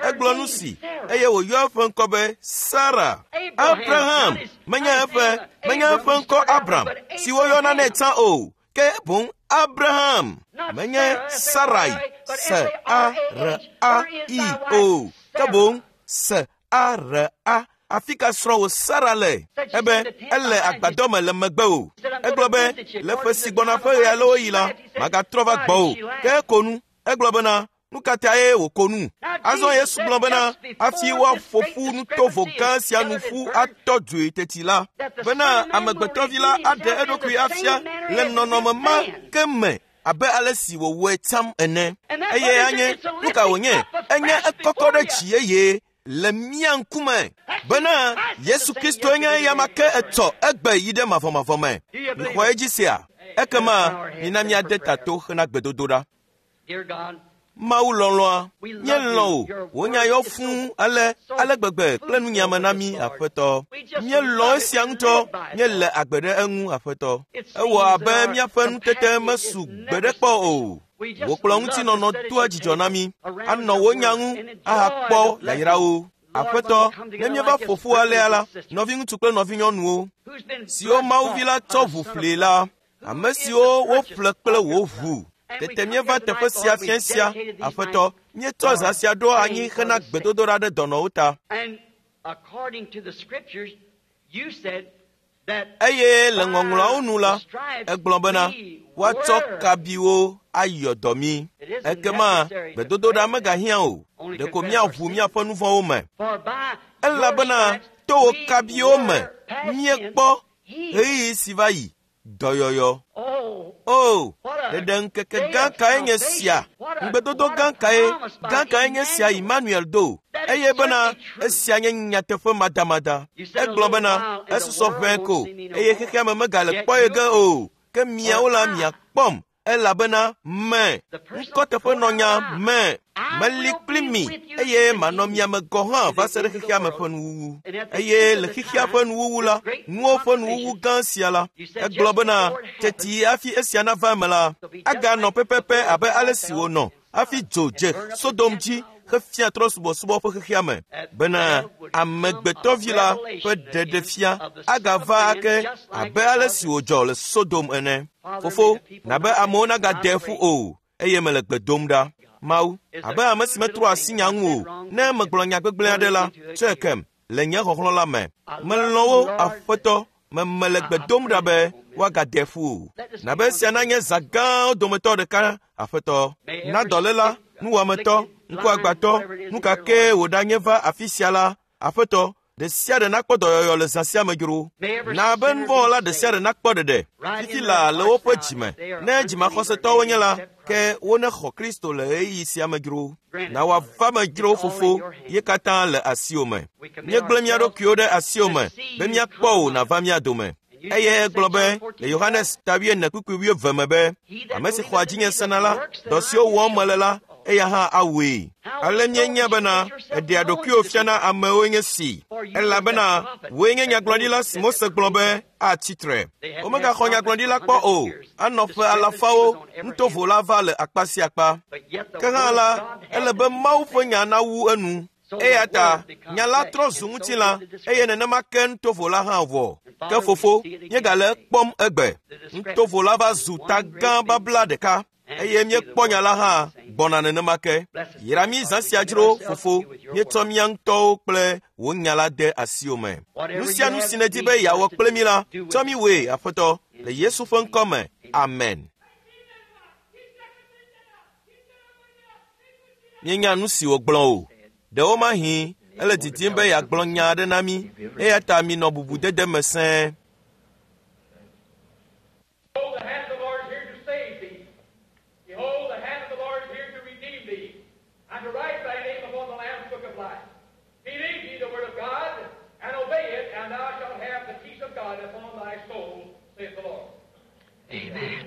Egblɔ nu si, eye wòyɔ eƒe ŋkɔ be Sara. Abraham menye eƒe menye eƒe ŋkɔ Abram si woyɔna nɛ tsã o, ke boŋ Abraham menye Sarai S A R A I o, ke boŋ S A R A. Afi ka srɔ̃wò Sara le? Ebe ele agbadɔ me le megbe o. Egblɔ be le ƒe si gbɔna ƒe ɣe alewo yi la, magatrɔ va gbɔwò. Ke eko nu. Egblɔ bena nu ka tae wòko nu? Azɔ Yesu gblɔ bena hafi woaƒo ƒu nutovo gã sia nu ƒu atɔ dzoe teti la, bena amegbetɔvi la aɖe eɖokui afia le nɔnɔme ma ke me abe ale si wòwɔe tsam ene. Eye anye nu ka wònye? Enye ekɔkɔ ɖe dzi yeye le mía ŋkume bena Yesu Kristo nye eyama ke etsɔ egbe yi ɖe mavɔmavɔ me. Mixɔ edzi sia? Ekema mina míade ta to hena gbedodoɖa. Mawu lɔlɔ̃a, míelɔ̃ wò, wò nya yɔ fũu ale ale gbegbe kple nunyame na mí, Aƒetɔ. Míelɔ̃ esia ŋutɔ, míele agbe ɖe eŋu, Aƒetɔ. Ewɔ abe míaƒe nutete mesu gbeɖe kpɔ o. Wò kplɔ ŋutinɔnɔ doa dzidzɔ na mí, anɔ wò nya ŋu ahakpɔ yayrawo. Aƒetɔ, ne míeva ƒo ƒu alea la, nɔviŋutsu kple nɔvinyɔnuwo, siwo Mawu vi la tsɔ ʋu ƒlee la, ame siwo woƒle kple wò ʋu. Tete míeva teƒe sia fiẽ sia, Aƒetɔ, míetsɔ zã sia ɖo anyi hena gbedodoɖa ɖe dɔnɔwo ta. Eye le ŋɔŋlɔawo nu la, egblɔ bena woatsɔ kabiwo ayɔ dɔ mí. Ekema gbedodoɖa megahiã o, ɖeko míaʋu míaƒe nu vɔ̃wo me. Elabena to wò kabiwo me míekpɔ ɣeyiɣi si va yi dɔyɔyɔ. O, ɖeɖe ŋkeke gã kae nye sia? Ŋugbedodo gã kae gã kae nye sia Emmanuel do? Eye bena esia nye nyateƒe madamada. Egblɔ bena esusɔ ʋɛ ko eye xexea me megale kpɔ ye ge o. Ke miawo la miakpɔm elabena me ŋkɔteƒenɔnya me meli kpli mi eye manɔ mia me gɔ̃ hã va se ɖe xexea me ƒe nuwuwu. Eye le xexea ƒe nuwuwu la, nuwo ƒe nuwuwu gã sia la, egblɔ bena teti hafi esia nava eme la, aganɔ pɛpɛpɛ abe ale si wònɔ hafi dzo dze Sodom dzi hefia trɔ̃subɔsubɔ ƒe xexea me bena amegbetɔvi la ƒe ɖeɖefia agava ake abe ale si wòdzɔ le Sodom ene. Fofo, nabe amewo nagade ƒu o, eye mele gbe dom ɖa. Mawu, abe ame si metrɔ asi nya ŋu o, ne megblɔ nya gbegblẽ aɖe la, tsɔe kem le nye xɔxlɔ̃ la me. Melɔ̃ wo, Aƒetɔ, me mele gbe dom ɖa be woagade ƒu o. Nabe esia nanye zã gãwo dometɔ ɖeka, Aƒetɔ. Na dɔléla, nuwɔametɔ, ŋkuagbãtɔ, nu ka kee wòɖanye va afi sia la, Aƒetɔ, ɖe sia ɖe nakpɔ dɔyɔyɔ le zã sia me dzro. Na be nuvɔ̃wɔla ɖe sia ɖe nakpɔ ɖeɖe fifi laa le woƒe dzime. Ne dzimaxɔsetɔwo nye la, ke wonexɔ Kristo le ɣeyiɣi sia me dzro. Na wòava me dzro, Fofo, ye katã le asiwò me. Míegblẽ mía ɖokuiwo ɖe asiwò me be míakpɔ wò nàva mía dome. Eye egblɔ be le Yohanes ta wuiene kpukpui wuieve me be, ame si xɔa dzinye sena la, dɔ siwo wɔm mele la, eya hã awɔe. Ale míenya bena eɖea ɖokuiwò fiana amewoe nye si, elabena wòe nye nyagblɔɖila si Mose gblɔ be atsi tre. Womegaxɔ nyagblɔɖila kpɔ o, anɔ ƒe alafawo nutovo la va le akpa sia akpa. Ke hã la, ele be Mawu ƒe nya nawu enu. Eya ta nya la trɔ zu ŋutilã eye nenema ke nutovo la hã wɔ. Ke fofo, míegale ekpɔm egbe. Nutovo la va zu ta gã babla ɖeka eye míekpɔ nya la hã gbɔna nenema ke. Yra mí zã sia dzro, Fofo, míetsɔ mía ŋutɔwo kple wò nya la de asiwò me. Nu sia nu si nèdi be yeawɔ kple mí la, tsɔ mí wòe, Aƒetɔ, le Yesu ƒe ŋkɔ me. Amen. Míenya nu si wògblɔ o. Ɖewomahi ele didim be yeagblɔ nya aɖe na mí, eya ta minɔ bubudede me sẽe. Behold, the hand of the Lord is here to save thee. Behold, the hand of the Lord is here to redeem thee, and to write thy name upon the Lamb's book of life. Believe ye the word of God, and obey it, and thou shalt have the peace of God upon thy soul, saith the Lord. Amen.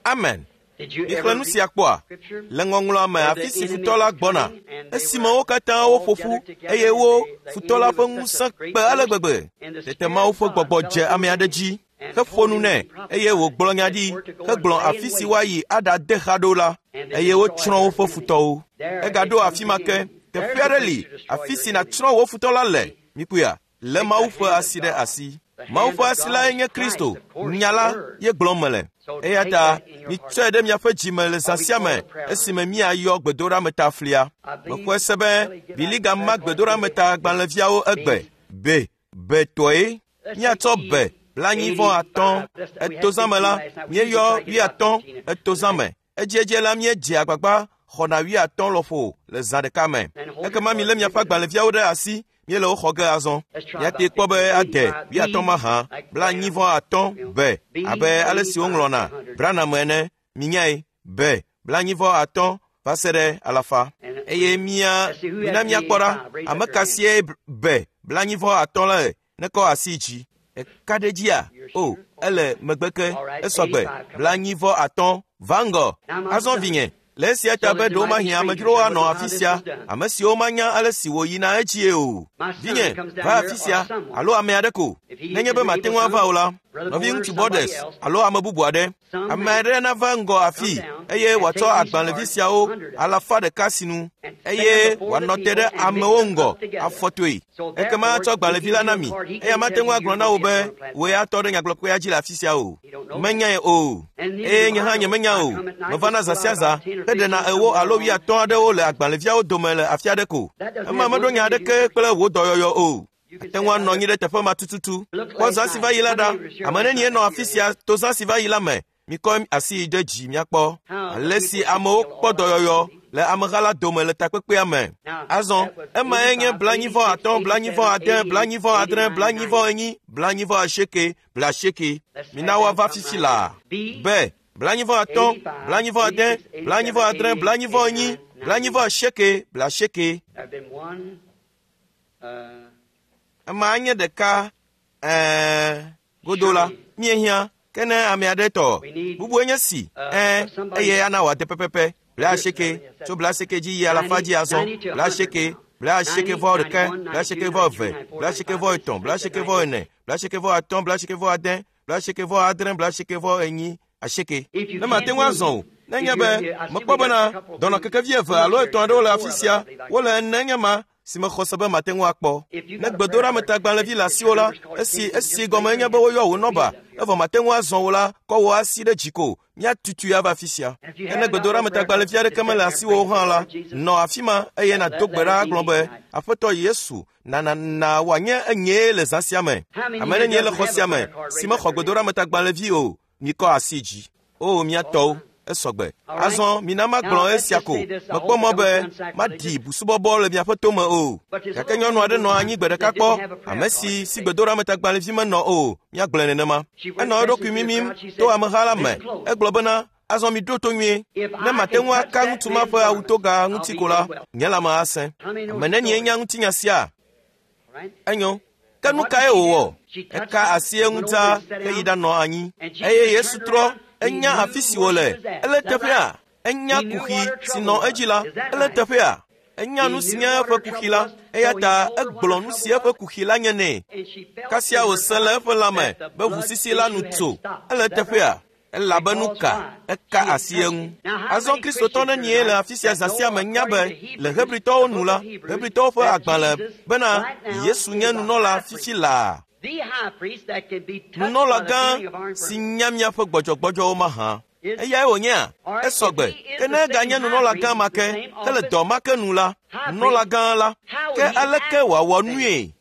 Amen. Did you Mixlẽ ever nu read sia kpɔa? scripture? Le ŋɔŋlɔa me afi si futɔ la gbɔna, esime wo katã woƒo ƒu eye wo futɔ la ƒe ŋusẽ kpe ale gbegbe. Tete Mawu ƒe gbɔgbɔ dze ame aɖe dzi heƒo nu nɛ eye wògblɔ nya ɖi hegblɔ afi si woayi aɖade xa ɖo la eye wotsrɔ̃ woƒe futɔwo. Egaɖo afi ma ke, teƒe aɖe li afi si nàtsrɔ̃ wò futɔ la le. Mikpɔea? Lé Mawu ƒe asi ɖe asi. Mawu ƒe asi lae nye Kristo, nya la ye gblɔm mele. Eya ta mitsɔe ɖe miaƒe dzime le zã sia me esime míayɔ gbedoɖameta flia. Mexɔe se be Bili gama gbedoɖameta gbalẽviawo egbe. Be, be tɔe. Míatsɔ be blaenyi vɔ atɔ̃. Etozãme la, míeyɔ wuiatɔ̃ etozãme. Edziedzi la míedze agbagba xɔna wuiatɔ̃ lɔƒo le zã ɖeka me. Ekema milé miaƒe agbalẽviawo ɖe asi, míele wo xɔ ge azɔ. Míate kpɔ be ade wuiatɔ̃ mahã, blaenyi vɔ atɔ̃ be abe ale si woŋlɔna Branham ene. Minyae be blaenyi vɔ atɔ̃ va se ɖe alafa. Eye mía mina míakpɔ ɖa ame ka sie be blaenyi vɔ atɔ̃ la le nekɔ asi dzi. Eka ɖe dzia? O, ele megbe ke esɔgbe blaenyi vɔ atɔ̃ va ŋgɔ. Azɔ vinye, le esia ta be ɖewomahi amedzrowo anɔ afi sia, ame siwo manya ale si wòyina edzie o. Vinye, va afi sia alo ame aɖe ko. Nenye be mate ŋu ava o la, nɔviŋutsu Borders alo ame bubu aɖe. Ame aɖe nava ŋgɔ afii eye wòatsɔ agbalẽvi siawo alafa ɖeka sinu eye wòanɔ te ɖe amewo ŋgɔ afɔtoe. Ekema atsɔ agbalẽvi la na mi eye mate ŋu agblɔ na wò be wòe atɔ ɖe nyagblɔkpea dzi le afi sia o. Menyae o, eye nye hã nyemenya o. Mevana zã sia zã heɖena ewo alo wuiatɔ̃ aɖewo le agbalẽviawo dome le afi aɖe ko. Ema meɖo nya aɖeke kple wò dɔyɔyɔ o. Ate ŋu anɔ anyi ɖe teƒe ma tututu. Kpɔ zã si va yi la ɖa. Ame nenie nɔ afi sia to zã si va yi la me? Mikɔ asi yi ɖe dzi miakpɔ ale si amewo kpɔ dɔyɔyɔ le ameha la dome le takpekpea me. Azɔ emae nye blanyivɔ atɔ̃, blanyivɔ ade, blanyivɔ adre, blanyivɔ enyi, blanyivɔ asieke, blaasieke. Mina woava fifi laa. B blanyivɔ atɔ̃, blanyivɔ ade, blanyivɔ adre, blanyivɔ enyi, blanyivɔ asieke, blaasieke. Ema nye ɖeka ɛɛ godo la míehiã ke ne ame aɖe tɔ bubue nye si ɛɛ eye ana wòade pɛpɛpɛ blaasieke tso blaasieke dzi yi alafa dzi azɔ blaasieke blaasieke vɔ ɖeka blaasieke vɔ eve blaasieke vɔ etɔ̃ blaasieke vɔ ene blaasieke vɔ atɔ̃ blaasieke vɔ ade blaasieke vɔ adre blaasieke vɔ enyi asieke. Ne mate ŋu azɔ o nenye be mekpɔ bena dɔnɔkekevi eve alo etɔ̃ aɖewo le afi sia wole ene nye ma si mexɔ se be mate ŋu akpɔ. Ne gbedoɖametagbalẽvi le asiwò la, esi esi gɔme nye be woyɔ wò nɔba, evɔ mate ŋu azɔ wò la, kɔ wò asi ɖe dzi ko, míatutui ava afi sia. Ke ne gbedoɖametagbalẽvi aɖeke mele asiwò hã la, nɔ afi ma eye nàdo gbe ɖa agblɔ be, Aƒetɔ Yesu, na na na wòanye enyee le zã sia me. Ame nenie le xɔ sia me si mexɔ gbedoɖametagbalẽvi o, mikɔ asi dzi. O mía tɔwo, esɔgbe. Azɔ mina magblɔ esia ko. Mekpɔ mɔ be maɖi busubɔbɔ le miaƒe tome o. Gake nyɔnu aɖe nɔ anyi gbe ɖeka kpɔ, ame si si gbedoɖametagbalẽvi menɔ o, míagblɔe nenema. Enɔ eɖokui mimim to ameha la me. Egblɔ bena, azɔ miɖo to nyuie. Ne mate ŋu aka ŋutsu ma ƒe awutoga ŋuti ko la, nye lãme asẽ. Ame nenie nya ŋutinya sia? Enyo. Ke nu kae wòwɔ? Eka asi eŋu dzaa heyi ɖanɔ anyi. Eye Yesu trɔ enya afi si wòle. Ele teƒea. Enya kuxi si nɔ edzi la. Ele teƒea. Enya nu si nye eƒe kuxi la. Eya ta egblɔ nu si eƒe kuxi la nye nɛ. Kasia wòse le eƒe lãme be ʋusisi la nu tso. Ele teƒea. Elabe nu ka? Eka asi eŋu. Azɔ Kristotɔ nenie le afi sia zã sia me nya be le Hebritɔwo nu la, Hebritɔwo ƒe agbalẽ bena Yesu nye nunɔla fifi laa. Nunɔla gã si nya miaƒe gbɔdzɔgbɔdzɔwo mahã. Eyae wònyea? Esɔgbe. Ke ne eganye nunɔla gã ma ke, ke le dɔ ma ke nu la, nunɔla gã la, ke aleke wòawɔ nue?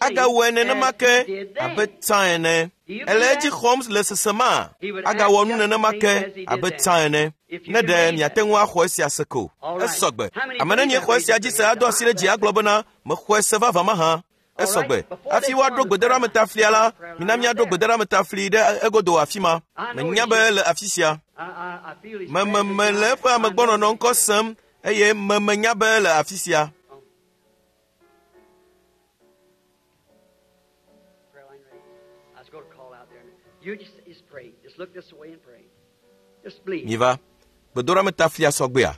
Agawɔe nenema ke abe tsã ene. Ele edzi xɔm le sesema. Agawɔ nu nenema ke abe tsã ene. Ne ɖe miate ŋu axɔ esia se ko. Esɔgbe. Ame nenie xɔ esia dzi se ado asi ɖe dzi agblɔ bena mexɔe se vavã mahã. Esɔgbe. Hafi woaɖo gbedoɖametaflia la, mina míaɖo gbedoɖametafli ɖe egodo afi ma. Menya be le afi sia. Mememe le eƒe amegbɔnɔnɔ ŋkɔ sem eye memenya be le afi sia. Miva. Gbedoɖametaflia sɔgbea.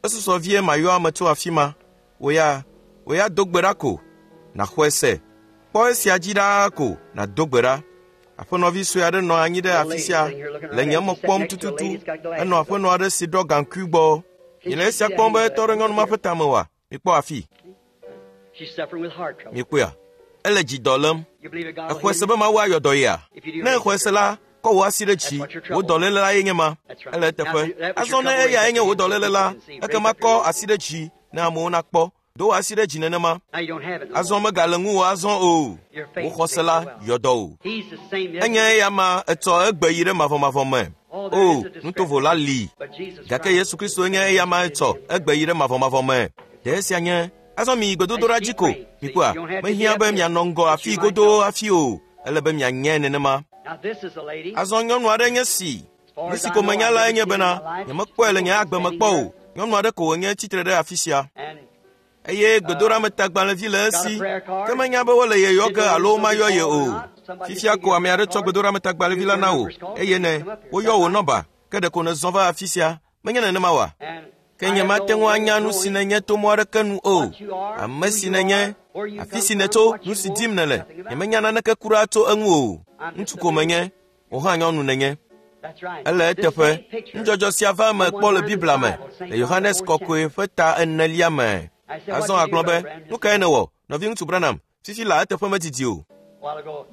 Esusɔ vie mayɔ ame tso afi ma. Wò ya, wò ya do gbe ɖa ko. Nàxɔe se. Kpɔ esia dzi ɖaa ko nàdo gbe ɖa. Aƒenɔvi sue aɖe nɔ anyi ɖe afi sia le nye me kpɔm tututu. Enɔ aƒenɔ aɖe si ɖɔ gaŋkui gbɔ. Miele esia kpɔm be etɔ ɖe nyɔnu ma ƒe tame oa? Mikpɔ afi. Mikpɔea? Ele dzidɔ lém. Exɔe se be Mawu ayɔ dɔ yea? Ne exɔe se la, kɔ wò asi ɖe dzi. Wò dɔléle la ye nye ma. Ele eteƒe. Azɔ ne eyae nye wò dɔléle la, ekema kɔ asi ɖe dzi ne amewo nakpɔ. Do wò asi ɖe dzi nenema. Azɔ megale ŋuwò azɔ o. Wò xɔse la yɔ dɔ o. Enye eya ma etsɔ egbe yi ɖe mavɔmavɔ me. O, nutovo la li. Gake Yesu Kristo nye eya ma etsɔ egbe yi ɖe mavɔmavɔ me. Ɖe esia nye azɔ mi yi gbedodoɖa dzi ko. Mikpɔa, mehiã be mianɔ ŋgɔ afi godoo hafi o. Ele be mianye nenema. Azɔ nyɔnu aɖe nye si. Nu si ko menya lae nye bena nyemekpɔe le nye agbe me kpɔ o. Nyɔnu aɖe ko wònye tsitre ɖe afi sia. Eye gbedoɖametagbalẽvi le esi, ke menya be wole ye yɔ ge alo womayɔ ye o. Fifia ko ame aɖe tsɔ gbedoɖametagbalẽvi la na wò eye ne woyɔ wò nɔba, ke ɖeko nèzɔ va afi sia. Menye nenema oa? Ke nyemate ŋu anya nu si nènye to mɔ aɖeke nu o. Ame si nènye, afi si nètso, nu si dim nèle, nyemenya naneke kura tso eŋu o. Ŋutsu ko menye, wò hã nyɔnu nènye. Ele eteƒe. Nudzɔdzɔ sia va eme kpɔ le Biblia me, le Yohanes Kɔkɔe ƒe ta enelia me. Azɔ agblɔ be, nu kae nèwɔ, nɔviŋutsu Branham? Fifi la eteƒe medidi o.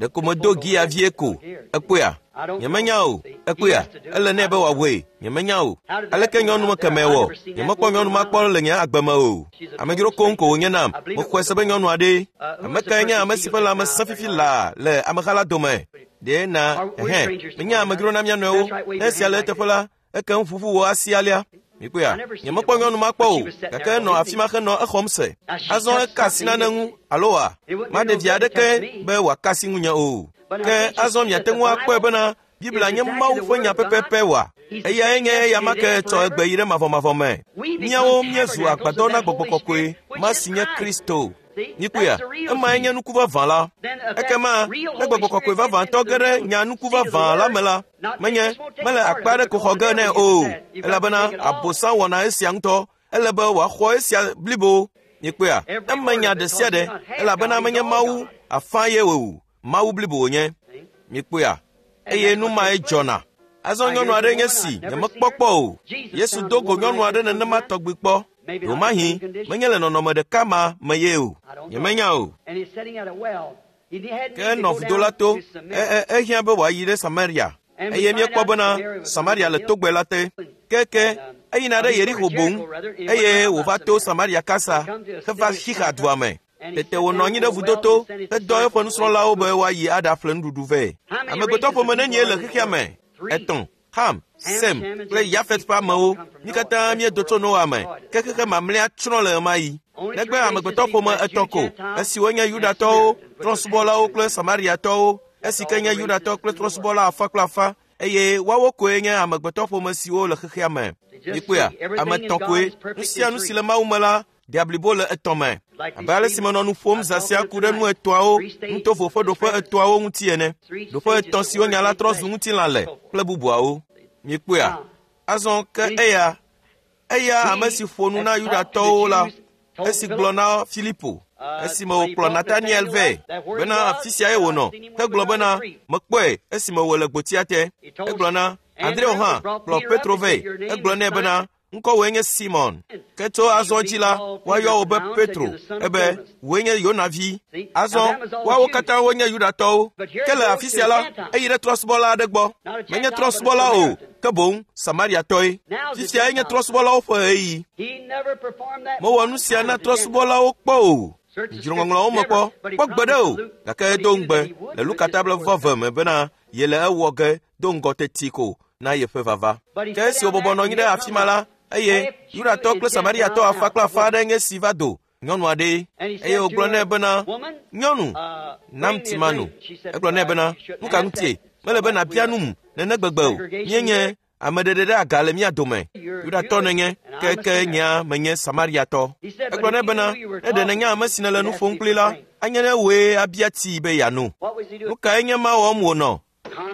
Ɖeko medo gia vie ko. Ekpɔea? Nyemenya o. Ekpɔea? Ele nɛ be wòawɔe. Nyemenya o. Aleke nyɔnu me kemɛ wɔ? Nyemekpɔ nyɔnu ma kpɔ le nye agbe me o. Amedzro koŋ ko wònye nam. Mexɔe se be nyɔnu aɖee. Ame kae nye ame si ƒe lãme sẽ fifi laa le ameha la dome? Ɖe na ɛhɛn. Menye amedzro na mía nɔewo. Ne esia le eteƒe la, ekem ƒuƒu wò asi alea. Mikpɔea? Nyemekpɔ nyɔnu ma kpɔ o, gake enɔ afi ma henɔ exɔm se. Azɔ eka asi nane ŋu alo wa? Maɖe vi aɖeke be wòaka asi ŋunye o. Ke azɔ miate ŋu akpɔe bena Biblia nye Mawu ƒe nya pɛpɛpɛ wa. Eyae nye eya ma ke tsɔ egbe yi ɖe mavɔmavɔ me. Míawo míezu agbadɔ na gbɔgbɔ kɔkɔe ma si nye Kristo. Mikpɔea? Emae nye nuku vavã la. Ekema ne gbɔgbɔ kɔkɔe vavãtɔ ge ɖe nya nuku vavã la me la, menye mele akpa aɖe ko xɔ ge nɛ o, elabena Abosam wɔna esia ŋutɔ. Ele be wòaxɔ esia blibo. Mikpɔea? Eme nya ɖe sia ɖe, elabena menye Mawu afã ye o, Mawu blibo wònye. Mikpɔea? Eye nu mae dzɔna. Azɔ nyɔnu aɖe nye si nyemekpɔ kpɔ o. Yesu do go nyɔnu aɖe nenema tɔgbi kpɔ. Ɖewomahi menye le nɔnɔme ɖeka ma me ye o. Nyemenya o. Ke enɔ vudo la to. Ehiã be wòayi ɖe Samaria. Eye míekpɔ bena Samaria le togbɛ la te. Keke eyina ɖe Yeriko boŋ eye wòva to Samaria kasa heva Xixa dua me. Tete wònɔ anyi ɖe vudo to hedɔ eƒe nusrɔ̃lawo be woayi aɖaƒle nuɖuɖu vɛ. Amegbetɔ ƒome nenie le xexea me? Etɔ̃. Ham, Sem kple Yafet ƒe amewo. Mí katã míedo tso Noa me. Ke xexe mamlɛa tsrɔ̃ le ɣemaɣi. Negbe amegbetɔ ƒome etɔ̃ ko, esiwo nye Yudatɔwo, trɔ̃subɔlawo kple Samariatɔwo, esi ke nye Yudatɔ kple trɔ̃subɔla afã kple afã, eye woawo koe nye amegbetɔ ƒome siwo le xexea me. Mikpɔea? Ame etɔ̃ koe. Nu sia nu si le Mawu me la de blibo le etɔ̃ me. Abe ale si menɔ nu ƒom zã sia ku ɖe nu etɔ̃awo, nutovo ƒe ɖoƒe etɔ̃awo ŋuti ene. Ɖoƒe etɔ̃ siwo nya la trɔ zu ŋutilã le kple bubuawo. Mikpɔea? Azɔ ke eya, eya ame si ƒo nu na Yudatɔwo la, esi gblɔ na Filipo, esime wòkplɔ Nataniel vɛ bena afi siae wònɔ, hegblɔ bena mekpɔe esime wòle gbotia te. Egblɔ na Andreo hã kplɔ Petro vɛ. Egblɔ nɛ bena ŋkɔwòe nye Simon. Ke tso azɔ dzi la, woayɔ wò be Petro, ebe wòe nye Yona vi. Azɔ woawo katã wonye Yudatɔwo. Ke le afi sia la, eyi ɖe trɔ̃subɔla aɖe gbɔ. Menye trɔ̃subɔla o, ke boŋ Samariatɔe. Fifia nye trɔ̃subɔlawo ƒe ɣeyiɣi. Mewɔ nu sia na trɔ̃subɔlawo kpɔ o. Dzro ŋɔŋlɔawo me kpɔ, kpɔ gbe ɖe o, gake edo ŋugbe le Luka ta blaeve me bena yele ewɔ ge do ŋgɔ teti ko na yeƒe vava. Ke esi wòbɔbɔ nɔ anyi ɖe afi ma la, eye Yudatɔ kple Samariatɔ afã kple afã aɖe nye si va do nyɔnu aɖee. Eye wògblɔ nɛ bena, nyɔnu, nam tsi mano. Egblɔ nɛ bena, nu ka ŋutie? Mele be nàbia num nene gbegbe o. Míenye ame ɖeɖe ɖe aga le mía dome. Yudatɔ nenye, ke ke nyea menye Samariatɔ. Egblɔ nɛ bena, ne ɖe nènya ame si nèle nu ƒom kpli la, anye ne wòe abia tsii be yeano. Nu kae nye ma wɔm wònɔ?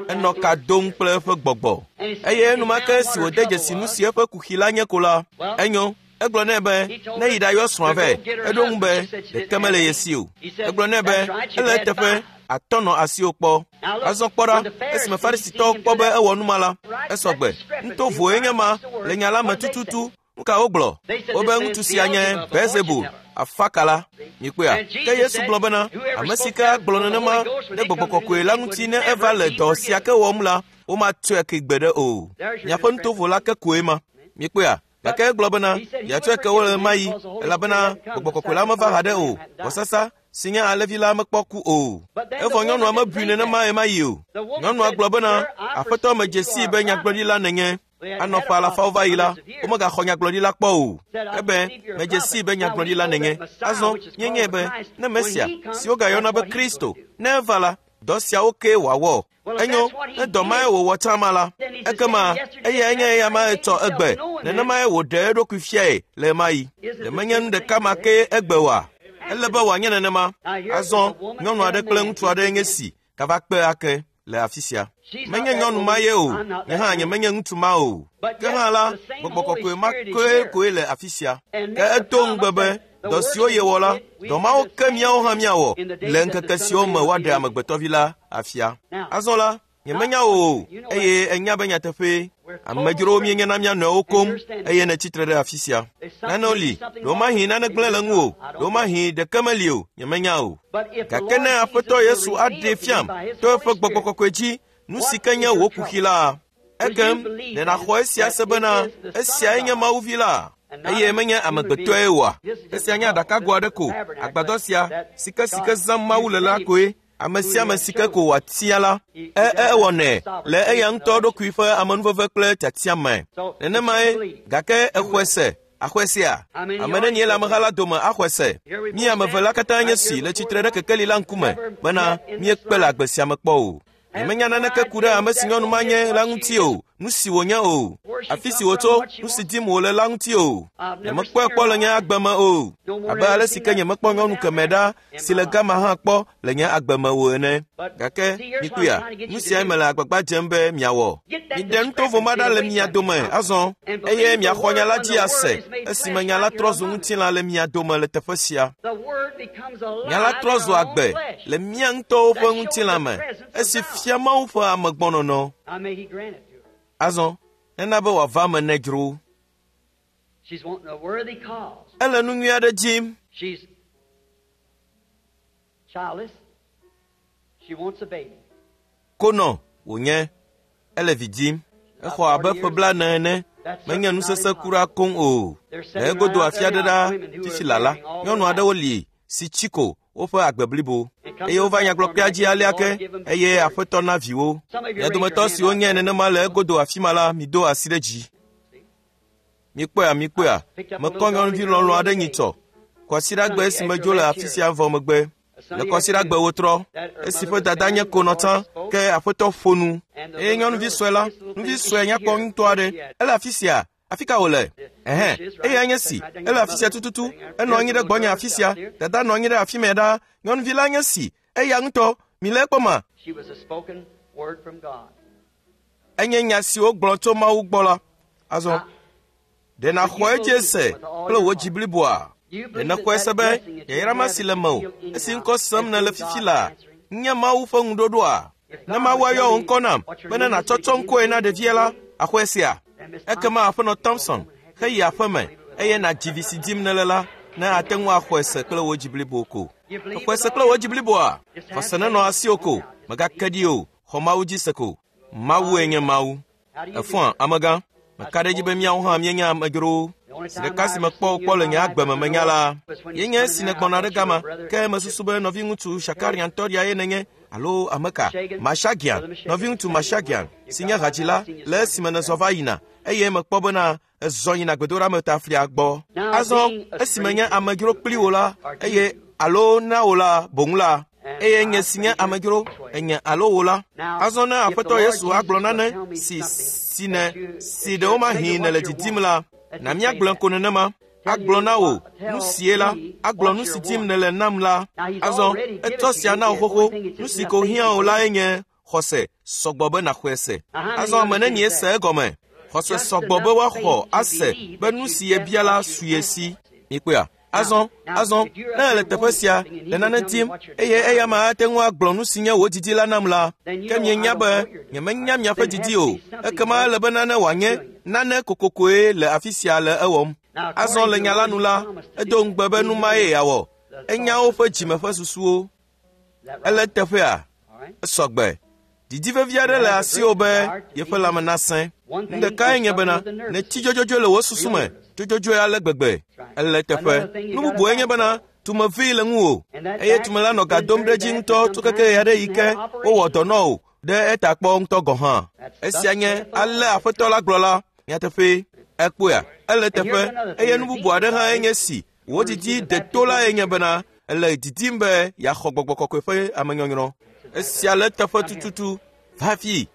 Enɔ ka dom kple eƒe gbɔgbɔ. Eye enumake esi wòde dzesi nu si eƒe kuxi la nye ko la, enyo. Egblɔ nɛ be ne yi ɖayɔ srɔ̃a vɛ. Eɖo ŋu be ɖeke mele ye si o. Egblɔ nɛ be ele eteƒe atɔ nɔ asiwò kpɔ. Azɔ kpɔ ɖa, esime Farisitɔwo kpɔ be ewɔ nu ma la, esɔgbe. Nutovoe nye ma le nya la me tututu. Nu ka wogblɔ? Wobe ŋutsu sia nye Beelzebul, afakala. Mikpɔea? Ke Yesu gblɔ bena, ame si ke agblɔ nenema ɖe gbɔgbɔ kɔkɔe la ŋuti ne eva le dɔ sia ke wɔm la, womatsɔe ke gbeɖe o. Miaƒe nutovo la ke koe ma. Mikpɔea? Gake egblɔ bena yeatsɔe ke wo le ɣemaɣi, elabena gbɔgbɔ kɔkɔe la meva haɖe o. Vɔsasa si nye alẽvi la mekpɔ ku o. Evɔ nyɔnua mebui nenema ɣemaɣi o. Nyɔnua gblɔ bena, Aƒetɔ medze sii be nyagblɔɖila nènye. Anɔ ƒe alafawo va yi la, womegaxɔ nyagblɔɖila kpɔ o. Ebe medze sii be nyagblɔɖila nènye. Azɔ míenyae be ne Mesia, si wogayɔna be Kristo, ne eva la, dɔ siawo kee wòawɔ. Enyo, ne dɔ mae wòwɔ tsã ma la, ekema eyae nye eya ma etsɔ egbe, nenemae wòɖe eɖokui fiae le ɣemaɣi. Ɖe menye nu ɖeka ma kee egbe oa? Ele be wòanye nenema. Azɔ nyɔnu aɖe kple ŋutsu aɖe nye si gava kpe ake le afi sia. Menye nyɔnu ma ye o, nye hã nyemenye ŋutsu ma o. Ke hã la, gbɔgbɔ kɔkɔe ma koe koe le afi sia. Ke edo ŋugbe be dɔ siwo yewɔ la, dɔ mawo ke míawo hã míawɔ le ŋkeke siwo me woaɖe amegbetɔvi la afia. Azɔ la, Nyemenya wò o, eye enya be nyateƒee. Amedzrowo míenye na mía nɔewo koŋ eye nètsi tre ɖe afi sia. Nanewo li, ɖewomahi nane gblẽ le ŋuwò, ɖewomahi ɖeke meli o, nyemenya o. Gake ne Aƒetɔ Yesu aɖee fiam to eƒe Gbɔgbɔ Kɔkɔe dzi nu si ke nye wò kuxi la, ekem ɖe nàxɔ esia se bena esiae nye Mawu Vi la, eye menye amegbetɔe oa? Esia nye aɖakago aɖe ko, agbadɔ sia si ke si ke zãm Mawu le la koe. Ame sia ame si ke ko wòatia la, e ewɔnɛ le eya ŋutɔ ɖokui ƒe amenuveve kple tiatia me. Nenemae, gake exɔe se, axɔe sea? Ame nenie le ameha la dome axɔe se? Mí ame eve la katã nye si le tsitre ɖe kekeli la ŋkume bena míekpe le agbe sia me kpɔ o. Nyemenya naneke ku ɖe ame si nyɔnu ma nye la ŋuti o, nu si wònye o, afi si wòtso, nu si dim wòle la ŋuti o. Nyemekpɔe kpɔ le nye agbe me o, abe ale si ke nyemekpɔ nyɔnu kemɛ ɖa si le gama hã kpɔ le nye agbe me o ene. Gake mikpɔea, nu siae mele agbagba dzem be miawɔ. Miɖe nutovo ma ɖa le mia dome azɔ, eye miaxɔ nya la dzi ase esime nya la trɔ zu ŋutilã le mia dome le teƒe sia. Nya la trɔ zu agbe le mía ŋutɔwo ƒe ŋutilã me esi fia Mawu ƒe amegbɔnɔnɔ. Azɔ, nena be wòava eme ne dzro. Ele nu nyui aɖe dim. Konɔ wònye, ele vi dim. Exɔ abe ƒe blaene ene. Menye nusese kura koŋ o. Le egodo afi aɖe ɖa fifi lala, nyɔnu aɖewo li si tsi ko woƒe agbe blibo eye wova nyagblɔkpea dzi alea ke eye Aƒetɔ na viwo. Mia dometɔ siwo nye nenema le egodo afi ma la, mido asi ɖe dzi. Mikpɔea, mikpɔea, mekɔ nyɔnuvi lɔlɔ̃ aɖe nyitsɔ. Kwasiɖagbe esi medzo le afi sia vɔ megbe. Le kwasiɖagbe wotrɔ, esi ƒe dada nye konɔ tsã, ke Aƒetɔ ƒo nu. Eye nyɔnuvi sue la, nuvi sue nyakpɔ ŋutɔ aɖe, ele afi sia. Afi ka wòle? Ɛhɛn, eyae nye si, ele afi sia tututu, enɔ anyi ɖe gbɔnye afi sia, dada nɔ anyi ɖe afi mɛ ɖaa, nyɔnuvi la nye si, eya ŋutɔ, mi le ekpɔ ma. Enye nya si wogblɔ tso Mawu gbɔ la. Azɔ, ɖe nàxɔ edzi se kple wò dzi bliboa? Ɖe nèxɔe se be yayra ma si le mewò, esi ŋkɔ sem nèle fifi la, nye Mawu ƒe ŋuɖoɖoa? Ne Mawu ayɔ wò ŋkɔ nam bene nàtsɔtsɔ ŋkɔe na ɖevia la, axɔe sea? Ekema Aƒenɔ Thompson heyi aƒeme eye nàdzi vi si dim nèle la, ne ate ŋu axɔe se kple wò dzi blibo ko. Exɔe se kple wò dzi bliboa? Xɔse nenɔ asiwò ko, mègake ɖi o, xɔ Mawu dzi se ko. Mawue nye Mawu. Efɔa, amegã, meka ɖe edzi be míawo hã míenye amedzrowo. Zi ɖeka si mekpɔ wò kpɔ le nye agbe me menya la, ye nye esi nègbɔna ɖe gama, ke mesusu be nɔviŋutsu Shakarian tɔɖia ye nènye, alo ame ka? Mashagian, nɔviŋutsu Mashagian, si nye hadzila le esime nèzɔ va yina, eye mekpɔ bena ezɔ yina gbedoɖametaflia gbɔ. Azɔ, esime nye amedzro kpli wò la, eye alo na wò la boŋ la, eye nye si nye amedzro, enye alo wò la. Azɔ ne Aƒetɔ Yesu agblɔ nane si si ne si ɖewomahi nèle didim la, na míagblɔe ko nenema. Agblɔ na wò nu sie la, agblɔ nu si dim nèle nam la. Azɔ, etsɔ sia na wò xoxo. Nu si ko hiã wò lae nye xɔse sɔgbɔ be nàxɔe se. Azɔ ame nenie se egɔme? Xɔse sɔgbɔ be woaxɔ ase be nu si yebia la su ye si. Mikpɔea? Azɔ, azɔ, ne ele teƒe sia le nane dim eye eya ma ate ŋu agblɔ nu si nye wò didi la nam la, ke mienya be nyemenya miaƒe didi o. Ekema ele be nane wòanye nane kokokoe le afi sia le ewɔm. Azɔ le nya la nu la, edo ŋugbe be nu mae yeawɔ. Enya woƒe dzime ƒe susuwo. Ele teƒea? Esɔgbe. Didi vevi aɖe le asiwò be yeƒe lãme nasẽ. Nu ɖekae nye bena nètsi dzodzodzoe le wò susu me, dzodzodzoe ale gbegbe. Ele teƒe. Nu bubue nye bena tumevi le ŋuwò eye tume la nɔ ga dom ɖe edzi ŋutɔ tso keke ɣe aɖe yi ke wowɔ dɔ nɔ wò ɖe eta kpɔ ŋutɔ gɔ̃ hã. Esia nye ale Aƒetɔ la gblɔ la, nyateƒee. Ekpɔea? Ele teƒe. Eye nu bubu aɖe hã nye si wò didi deto lae nye bena ele didim be yeaxɔ Gbɔgbɔ Kɔkɔe ƒe amenyɔnyrɔ. Esia le teƒe tututu. Va fi.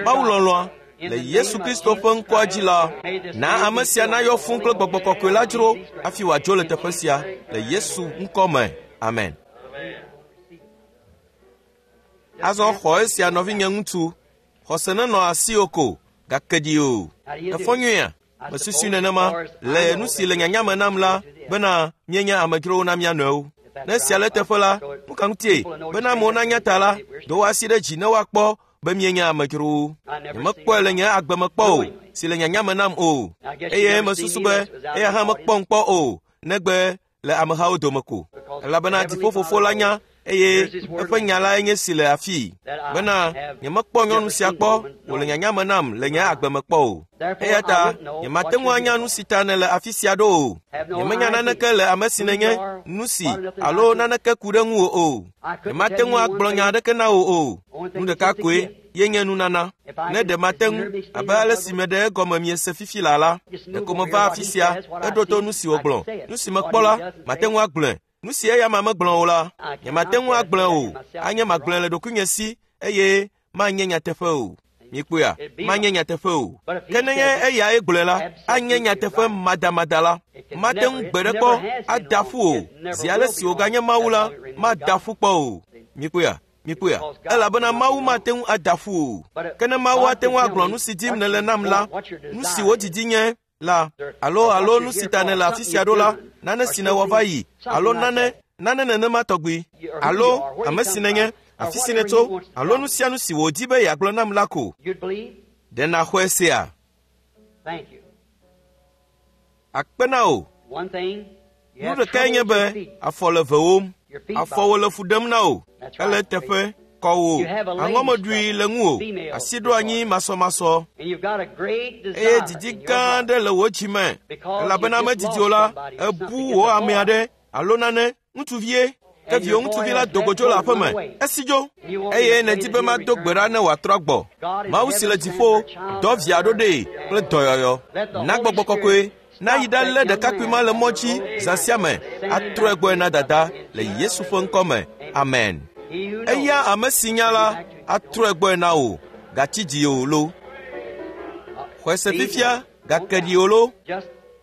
Mawu lɔlɔ̃a, le Yesu Kristo ƒe ŋkɔa dzi la, na ame sia nayɔ fũu kple Gbɔgbɔ Kɔkɔe la dzro hafi wòadzo le teƒe sia le Yesu ŋkɔ me. Amen. Azɔ xɔ esia nɔvinye ŋutsu. Xɔse nenɔ asiwò ko, gake ɖi o. Efɔ nyuia? Mesusui nenema le nu si le nyanya me nam la bena míenye amedzrowo na mía nɔewo. Ne esia le teƒe la, nu ka ŋutie? Bena amewo nanya ta la, do wò asi ɖe dzi ne woakpɔ be míenye amedzrowo. Nyemekpɔe le nye agbe me kpɔ o, si le nyanya me nam o. Eye mesusu be eya hã mekpɔm kpɔ o, negbe le amehawo dome ko. Elabena dziƒofofo la nya eye eƒe nya lae nye si le afii bena nyemekpɔ nyɔnu sia kpɔ wòle nyanya me nam le nye agbe me kpɔ o. Eya ta nyemate ŋu anya nu si ta nèle afi sia ɖo o. Nyemenya naneke le ame si nènye, nu si alo naneke ku ɖe ŋuwò o. Nyemate ŋu agblɔ nya aɖeke na wò o. Nu ɖeka koe ye nye nunana. Ne ɖe mate ŋu abe ale si meɖe egɔme miese fifi la la, ɖeko meva afi sia heɖo to nu si wògblɔ. Nu si mekpɔ la, mate ŋu agblɔe. Nu si eya ma megblɔ o la, nyemate ŋu agblɔe o. Anye magblɔe le ɖokuinye si eye manye nyateƒe o. Mikpɔea, manye nyateƒe o. Ke nenye eyae gblɔe la, anye nyateƒe madamada la. Mate ŋu gbe ɖe kpɔ ada ƒu o. Zi ale si wòganye Mawu la, mada ƒu kpɔ o. Mikpɔea, mikpɔea, elabena Mawu mate ŋu ada ƒu o. Ke ne Mawu ate ŋu agblɔ nu si dim nèle nam la, nu si wò didi nye la, alo alo nu si ta nèle afi sia ɖo la, nane si nèwɔ va yi, alo nane, nane nenema tɔgbi, alo ame si nènye, afi si nètso, alo nu sia nu si wòdi be yeagblɔ nam la ko. Ɖe nàxɔe sea? Akpe na wò. Nu ɖekae nye be afɔ le vewòm, afɔwò le fu ɖem na wò, ele eteƒe kɔ wò, aŋɔmeɖui le ŋuwò, asi ɖo anyi masɔmasɔ, eye didi gã aɖe le wò dzi me, elabena medidi o la, ebu wò ame aɖe alo nane, ŋutsuvie, ke viwò ŋutsuvi la do go tso le aƒe me, esi dzo, eye nèdi be mado gbe ɖa ne wòatrɔ gbɔ. Mawu si le dziƒo, dɔ via ɖo ɖee kple dɔyɔyɔ. Na gbɔgbɔ kɔkɔe nayi ɖalé ɖekakpui ma le mɔ dzi zã sia me, atrɔe gbɔe na dada le Yesu ƒe ŋkɔ me. Amen. Eya ame si nya la atrɔe gbɔe na wò, gatsi dzi o lo. Xɔe se fifia, gake ɖi o lo.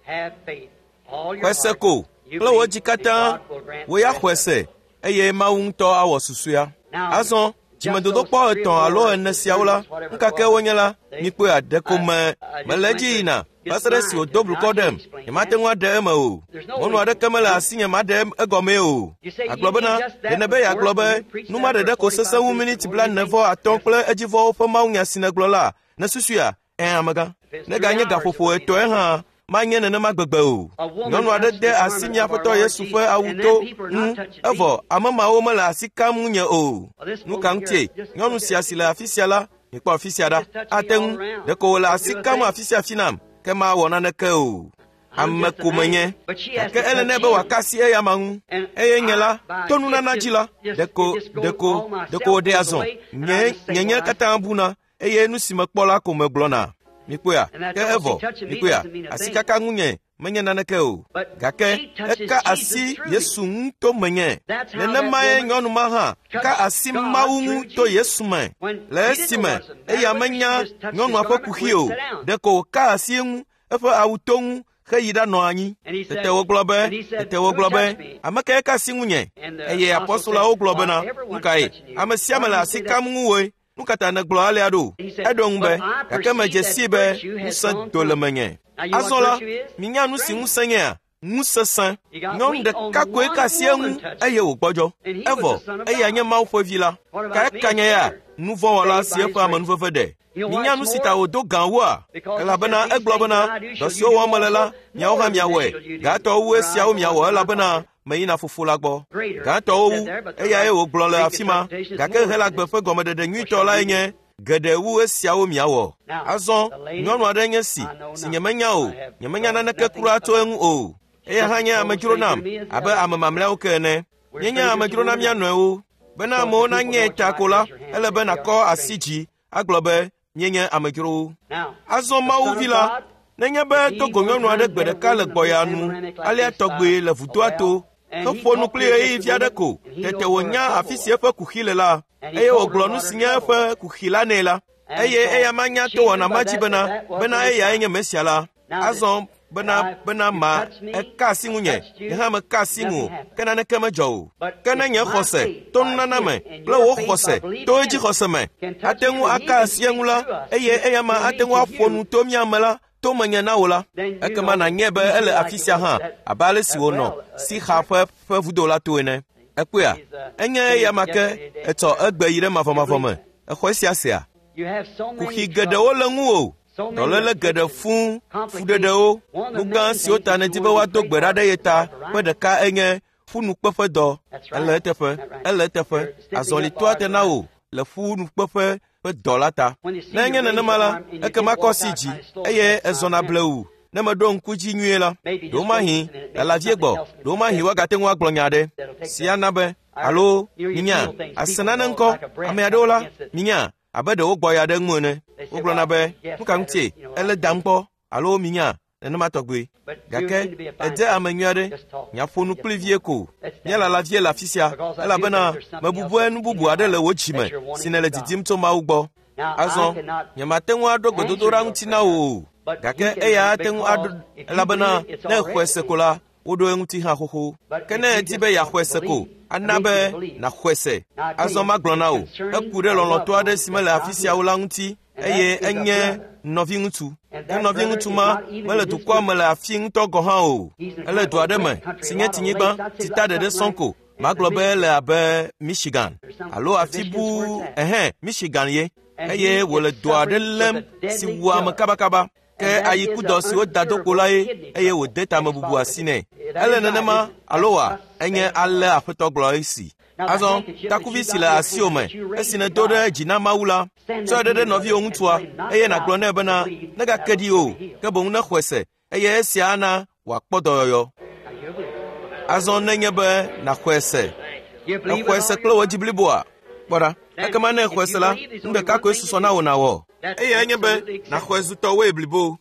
Xɔe se ko kple wò dzi katã, wò ya xɔe se eye Mawu ŋutɔ awɔ susɔea. Azɔ dzimedodokpɔ etɔ̃ alo ene siawo la, nu ka ke wonye la, mikpɔe aɖe ko me mele edzi yina va se ɖe esi wòdo blukɔ ɖem, nyemate ŋu aɖe eme o. Mɔnu aɖeke mele asinye maɖe egɔmee o. Agblɔ bena, ɖe nèbe yeagblɔ be nu ma ɖeɖe ko sesẽ wu miniti blaene vɔ atɔ̃ kple edzivɔwo ƒe mawunya si nègblɔ la, nèsusuia? Ẽ, amegã. Neganye gaƒoƒo etɔ̃e hã manye nenema gbegbe o. Nyɔnu aɖe de asi mía Aƒetɔ Yesu ƒe awuto ŋu, evɔ ame mawo mele asi kam ŋunye o. Nu ka ŋutie nyɔnu sia si le afi sia la, mikpɔ afi sia ɖa, ate ŋu ɖeko wòle asi kam afi sia afi nam, ke mawɔ naneke o. Ame ko menye, gake ele nɛ be wòaka asi eya ma ŋu. Eye nye la, to nunana dzi la, ɖeko ɖeko ɖeko wòɖe azɔ. Nye nyenye katã buna eye nu si mekpɔ la ko megblɔna. Mikpɔea, ke evɔ, mikpɔea, asikaka ŋunye menye naneke o. Gake eka asi Yesu ŋu to menye. Nenemae nyɔnu ma hã ka asi Mawu ŋu to Yesu me. Le esime eya menya nyɔnua ƒe kuxi o, ɖeko wòka asi eŋu, eƒe awu to ŋu heyi ɖanɔ anyi. Tete wògblɔ be, tete wògblɔ be, ame kae ka asi ŋunye? Eye apɔstolawo gblɔ bena, nu kae? Ame sia ame le asi kam ŋuwòe. Nu ka ta nègblɔ alea ɖo? Eɖo ŋu be, gake medze sii be ŋusẽ do le menye. Azɔ la, minya nu si ŋusẽ nyea? Ŋusesẽ. Nyɔnu ɖeka koe ka asi eŋu eye wògbɔdzɔ. Evɔ eya nye Mawu ƒe vi la. Ka eka nye ya? Nuvɔ̃wɔla si eƒe amenuveve ɖe. Minya nu si ta wòdo gã wua? Elabena egblɔ bena, dɔ siwo wɔm mele la, miawo hã miawɔe. Gãtɔwo wu esiawo miawɔ elabena meyina fofo la gbɔ. Gãtɔwo wu, eyae wògblɔ le afi ma. Gake Helagbe ƒe gɔmeɖeɖe nyuitɔ lae nye geɖe wu esiawo miawɔ. Azɔ nyɔnu aɖe nye si, si nyemenya o, nyemenya naneke kura tso eŋu o. Eya hã nye amedzro nam abe ame mamlɛawo ke ene. Míenye amedzro na mía nɔewo. Bena amewo nanye ta ko la, ele be nàkɔ asi dzi agblɔ be míenye amedzrowo. Azɔ Mawu vi la, nenye be do go nyɔnu aɖe gbe ɖeka le gbɔya nu, alea tɔgbe le vudoa to, heƒo nu kpli ɣeyiɣi vi aɖe ko, tete wònya afi si eƒe kuxi le la, eye wògblɔ nu si nye eƒe kuxi la nɛ la, eye eya manya to wɔna ma dzi bena, bena eyae nye Mesia la. Azɔ bena bena ma eka asi ŋunye, nye hã meka asi ŋu o, ke naneke medzɔ o. Ke ne nye xɔse to nunana me kple wò xɔse to edzi xɔse me ate ŋu aka asi eŋu la, eye eya ma ate ŋu aƒo nu to mía me la, to menye na wò la, ekema nànyae be ele afi sia hã abe ale si wònɔ Sixa ƒe ƒe vudo la to ene. Ekpɔea, enye eya ma ke etsɔ egbe yi ɖe mavɔmavɔ me. Exɔ esia sea? Kuxi geɖewo le ŋuwò. Dɔléle geɖe fũu, fuɖeɖewo, nu gã siwo ta nèdi be woado gbe ɖa ɖe ye ta ƒe ɖeka enye ƒunukpeƒedɔ. Ele eteƒe, ele eteƒe. Azɔlitoa te na wò le ƒunukpeƒe ƒe dɔ la ta. Ne enye nenema la, ekema kɔ asi dzi eye ezɔna blewu. Ne meɖo ŋku dzi nyuie la, ɖewomahi lala vie gbɔ, ɖewomahi woagate ŋu agblɔ nya aɖe si ana be alo minya ase nane ŋkɔ. Ame aɖewo la, minya abe ɖe wogbɔ ya ɖe ŋu ene. Wogblɔna be nu ka ŋutie ele dam kpɔ alo minya nenema tɔgbe. Gake edze ame nyui aɖe. Nyaƒo nu kpli vie ko. Míalala vie le afi sia elabena mebubue nu bubu aɖe le wò dzime si nèle didim tso Mawu gbɔ. Azɔ nyemate ŋu aɖo gbedodoɖa ŋuti na wò o. Gake eya ate ŋu aɖo elabena ne exɔe se ko la, woɖo eŋuti hã xoxo. Ke ne edi be yeaxɔe se ko, ana be nàxɔe se. Azɔ magblɔ na wò, eku ɖe lɔlɔ̃tɔ aɖe si mele afi siawo la ŋuti eye enye nɔviŋutsu. Ke nɔviŋutsu ma mele dukɔa me le afi ŋutɔ gɔ̃ hã o. Ele du aɖe me si nye tinyigba si ta ɖeɖe sɔŋ ko. Magblɔ be ele abe Michigan alo afi bu ɛhɛn Michigan ye eye wòle dɔ aɖe lém si wua ame kabakaba. Ke ayikudɔ si woda do kpo la ye eye wòde tamebubu asi nɛ. Ele nenema alo wa enye ale Aƒetɔ gblɔ esi. Azɔ takuvi si le asiwò me esi nèdo ɖe dzi na Mawu la, tsɔe ɖe ɖe nɔviwò ŋutsua eye nàgblɔ nɛ bena negake ɖi o, ke boŋ nexɔe se eye esia ana wòakpɔ dɔyɔyɔ. Azɔ nenye be nàxɔe se, exɔe se kple wò dzi bliboa, kpɔ ɖa. Ekema ne exɔe se la, nu ɖeka koe susɔ na wò nàwɔ. Eye enye be nàxɔe zu tɔwoe blibo.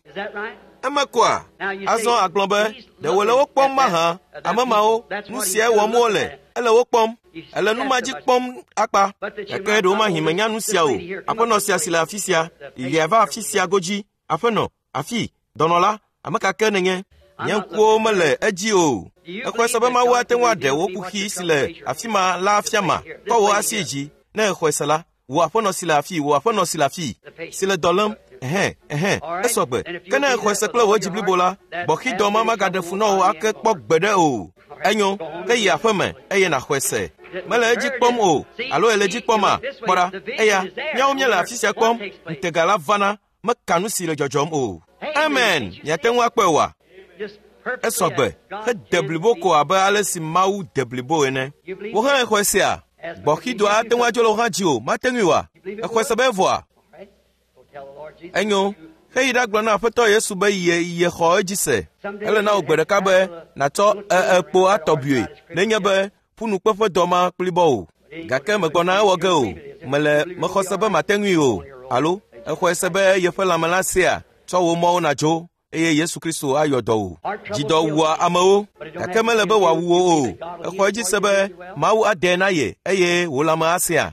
Eme koa, azɔ agblɔ be ɖe wòle wo kpɔm mahã, ame mawo, nu siae wɔm wole, ele wo kpɔm. Ele nu ma dzi kpɔm akpa. Gake ɖewomahi menya nu sia o. Aƒenɔ sia si le afi sia, lia va afi sia godzi. Aƒenɔ, afi, dɔnɔ la, ame ka ke nènye? Nye ŋkuwo mele edzi o. Exɔe se be Mawu ate ŋu aɖe wò kuxi si le afi ma la afia ma. Kɔ wò asi dzi ne exɔe se la. Wò aƒenɔ si le afi, wò aƒenɔ si le afi, si le dɔ lém. Ɛhɛn, ɛhɛn, esɔ gbe. Ke ne exɔe se kple wò dzi blibo la, gbɔxidɔ ma magaɖe fu na wò ake kpɔ gbeɖe o. Enyo, ke yi aƒe me eye nàxɔe se. Mele edzi kpɔm o, alo ele edzi kpɔma? Kpɔ ɖa, eya, míawo míele afi sia kpɔm. Ŋutega la vana, meka nu si le dzɔdzɔm o. Amen. Miate ŋu akpɔe oa? Esɔ gbe, hede blibo ko abe ale si Mawu de blibo ene. Wò hã exɔe sea? Gbɔxidɔa ate ŋu adzo le wò hã dzi o, mate ŋui oa? Exɔe se be evɔa? Enyo, heyi ɖagblɔ na Aƒetɔ Yesu be ye yexɔ edzi se. Ele na wò gbe ɖeka be nàtsɔ ekpo atɔ bui nenye be ƒunukpeƒedɔ ma kplibɔ o. Gake megbɔna ewɔ ge o. Mele mexɔ se be mate ŋui o. Alo exɔe se be yeƒe lãme la sea, tsɔ wò mɔwo nàdzo eye Yesu Kristo ayɔ dɔ wò. Dzidɔ wua amewo, gake mele be wòawu wò o. Exɔ edzi se be Mawu adae na ye eye wò lãme asea.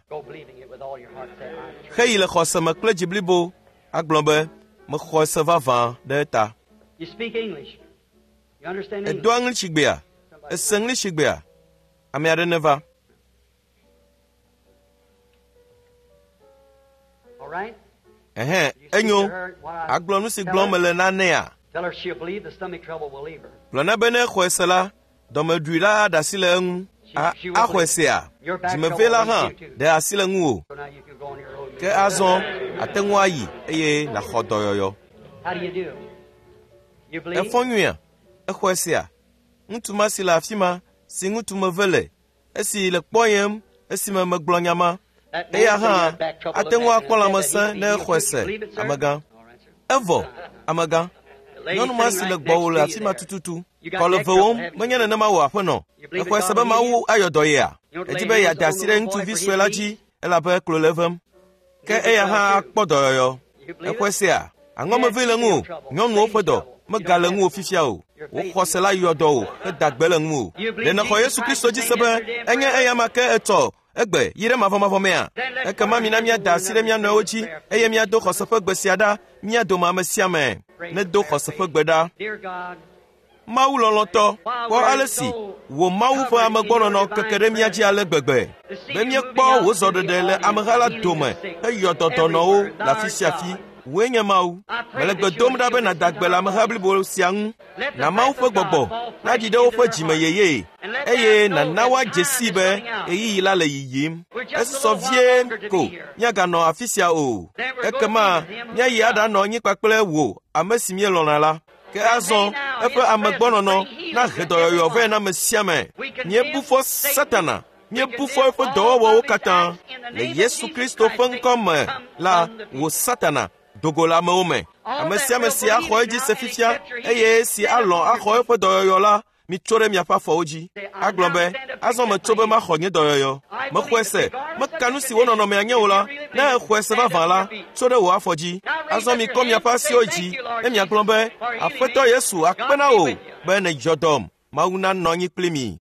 Heyi le xɔse me kple dzi blibo agblɔ be mexɔ se vavã ɖe eta. Edoa ŋlisigbea? Ese ŋlisigbea? Ame aɖe neva. Ɛhɛn, enyo. Agblɔ nu si gblɔm mele na nɛa? Gblɔ na be ne exɔe se la, dɔmeɖui la aɖe asi le eŋu. A axɔe sea? Dzimevee la hã ɖe asi le ŋuwò. Ke azɔ ate ŋu ayi eye nàxɔ dɔyɔyɔ. Efɔ nyuia? Exɔe sea? Ŋutsu ma si le afi ma, si ŋutsu meve le, esi le kpɔyem esime megblɔ nya ma, eya hã ate ŋu akpɔ lãmesẽ ne exɔe se, amegã. Evɔ, amegã. Nyɔnu ma si le gbɔwò le afi ma tututu. Kɔ le vewòm, menye nenema wò aƒenɔ. Exɔe se be Mawu ayɔ dɔ yea? Edi be yeade asi ɖe ŋutsuvi sue la dzi elabe klo le evem. Ke eya hã akpɔ dɔyɔyɔ. Exɔe sea? Aŋɔmevee le ŋuwò, nyɔnuwo ƒe dɔ megale ŋuwò fifia o. Wò xɔse la yɔ dɔ wò heda gbe le ŋuwò. Ɖe nèxɔ Yesu Kristo dzi se be enye eya ma ke etsɔ egbe yi ɖe mavɔmavɔ mea? Ekema mina míada asi ɖe mía nɔewo dzi eye míado xɔse ƒe gbe sia ɖa mía dome ame sia ame. Nedo xɔse ƒe gbe ɖa. Mawu lɔlɔ̃tɔ, kpɔ ale si wò Mawu ƒe amegbɔnɔnɔ keke ɖe mía dzi ale gbegbe be míekpɔ wò zɔɖeɖe le ameha la dome heyɔ dɔdɔnɔwo le afi sia afi. Wòe nye Mawu. Mele gbe dom ɖa be nàda gbe le ameha blibo sia ŋu. Na Mawu ƒe gbɔgbɔ naɖi ɖe woƒe dzime yeye eye nàna woadze sii be ɣeyiɣi la le yiyim. Esusɔ vie ko míaganɔ afi sia o. Ekema míayi aɖanɔ anyi kpakple wò ame si míelɔ̃na la. Ke azɔ eƒe amegbɔnɔnɔ nahe dɔyɔyɔ vɛ na ame sia ame. Míebu fɔ Satana, míebu fɔ eƒe dɔwɔwɔwo katã. Le Yesu Kristo ƒe ŋkɔ me la, wò Satana, do go le amewo me. Ame sia ame si axɔ edzi se fifia eye si alɔ̃ axɔ eƒe dɔyɔyɔ la, mitso ɖe miaƒe afɔwo dzi. Agblɔ be, azɔ metso be maxɔ nye dɔyɔyɔ. Mexɔe se, meka nu si wo nɔnɔmea nye o la, ne exɔe se vavã la, tso ɖe wò afɔ dzi. Azɔ mikɔ miaƒe asiwo dzi ne miagblɔ be, Aƒetɔ Yesu akpe na wò be nèdzɔ dɔm. Mawu nanɔ anyi kpli mi.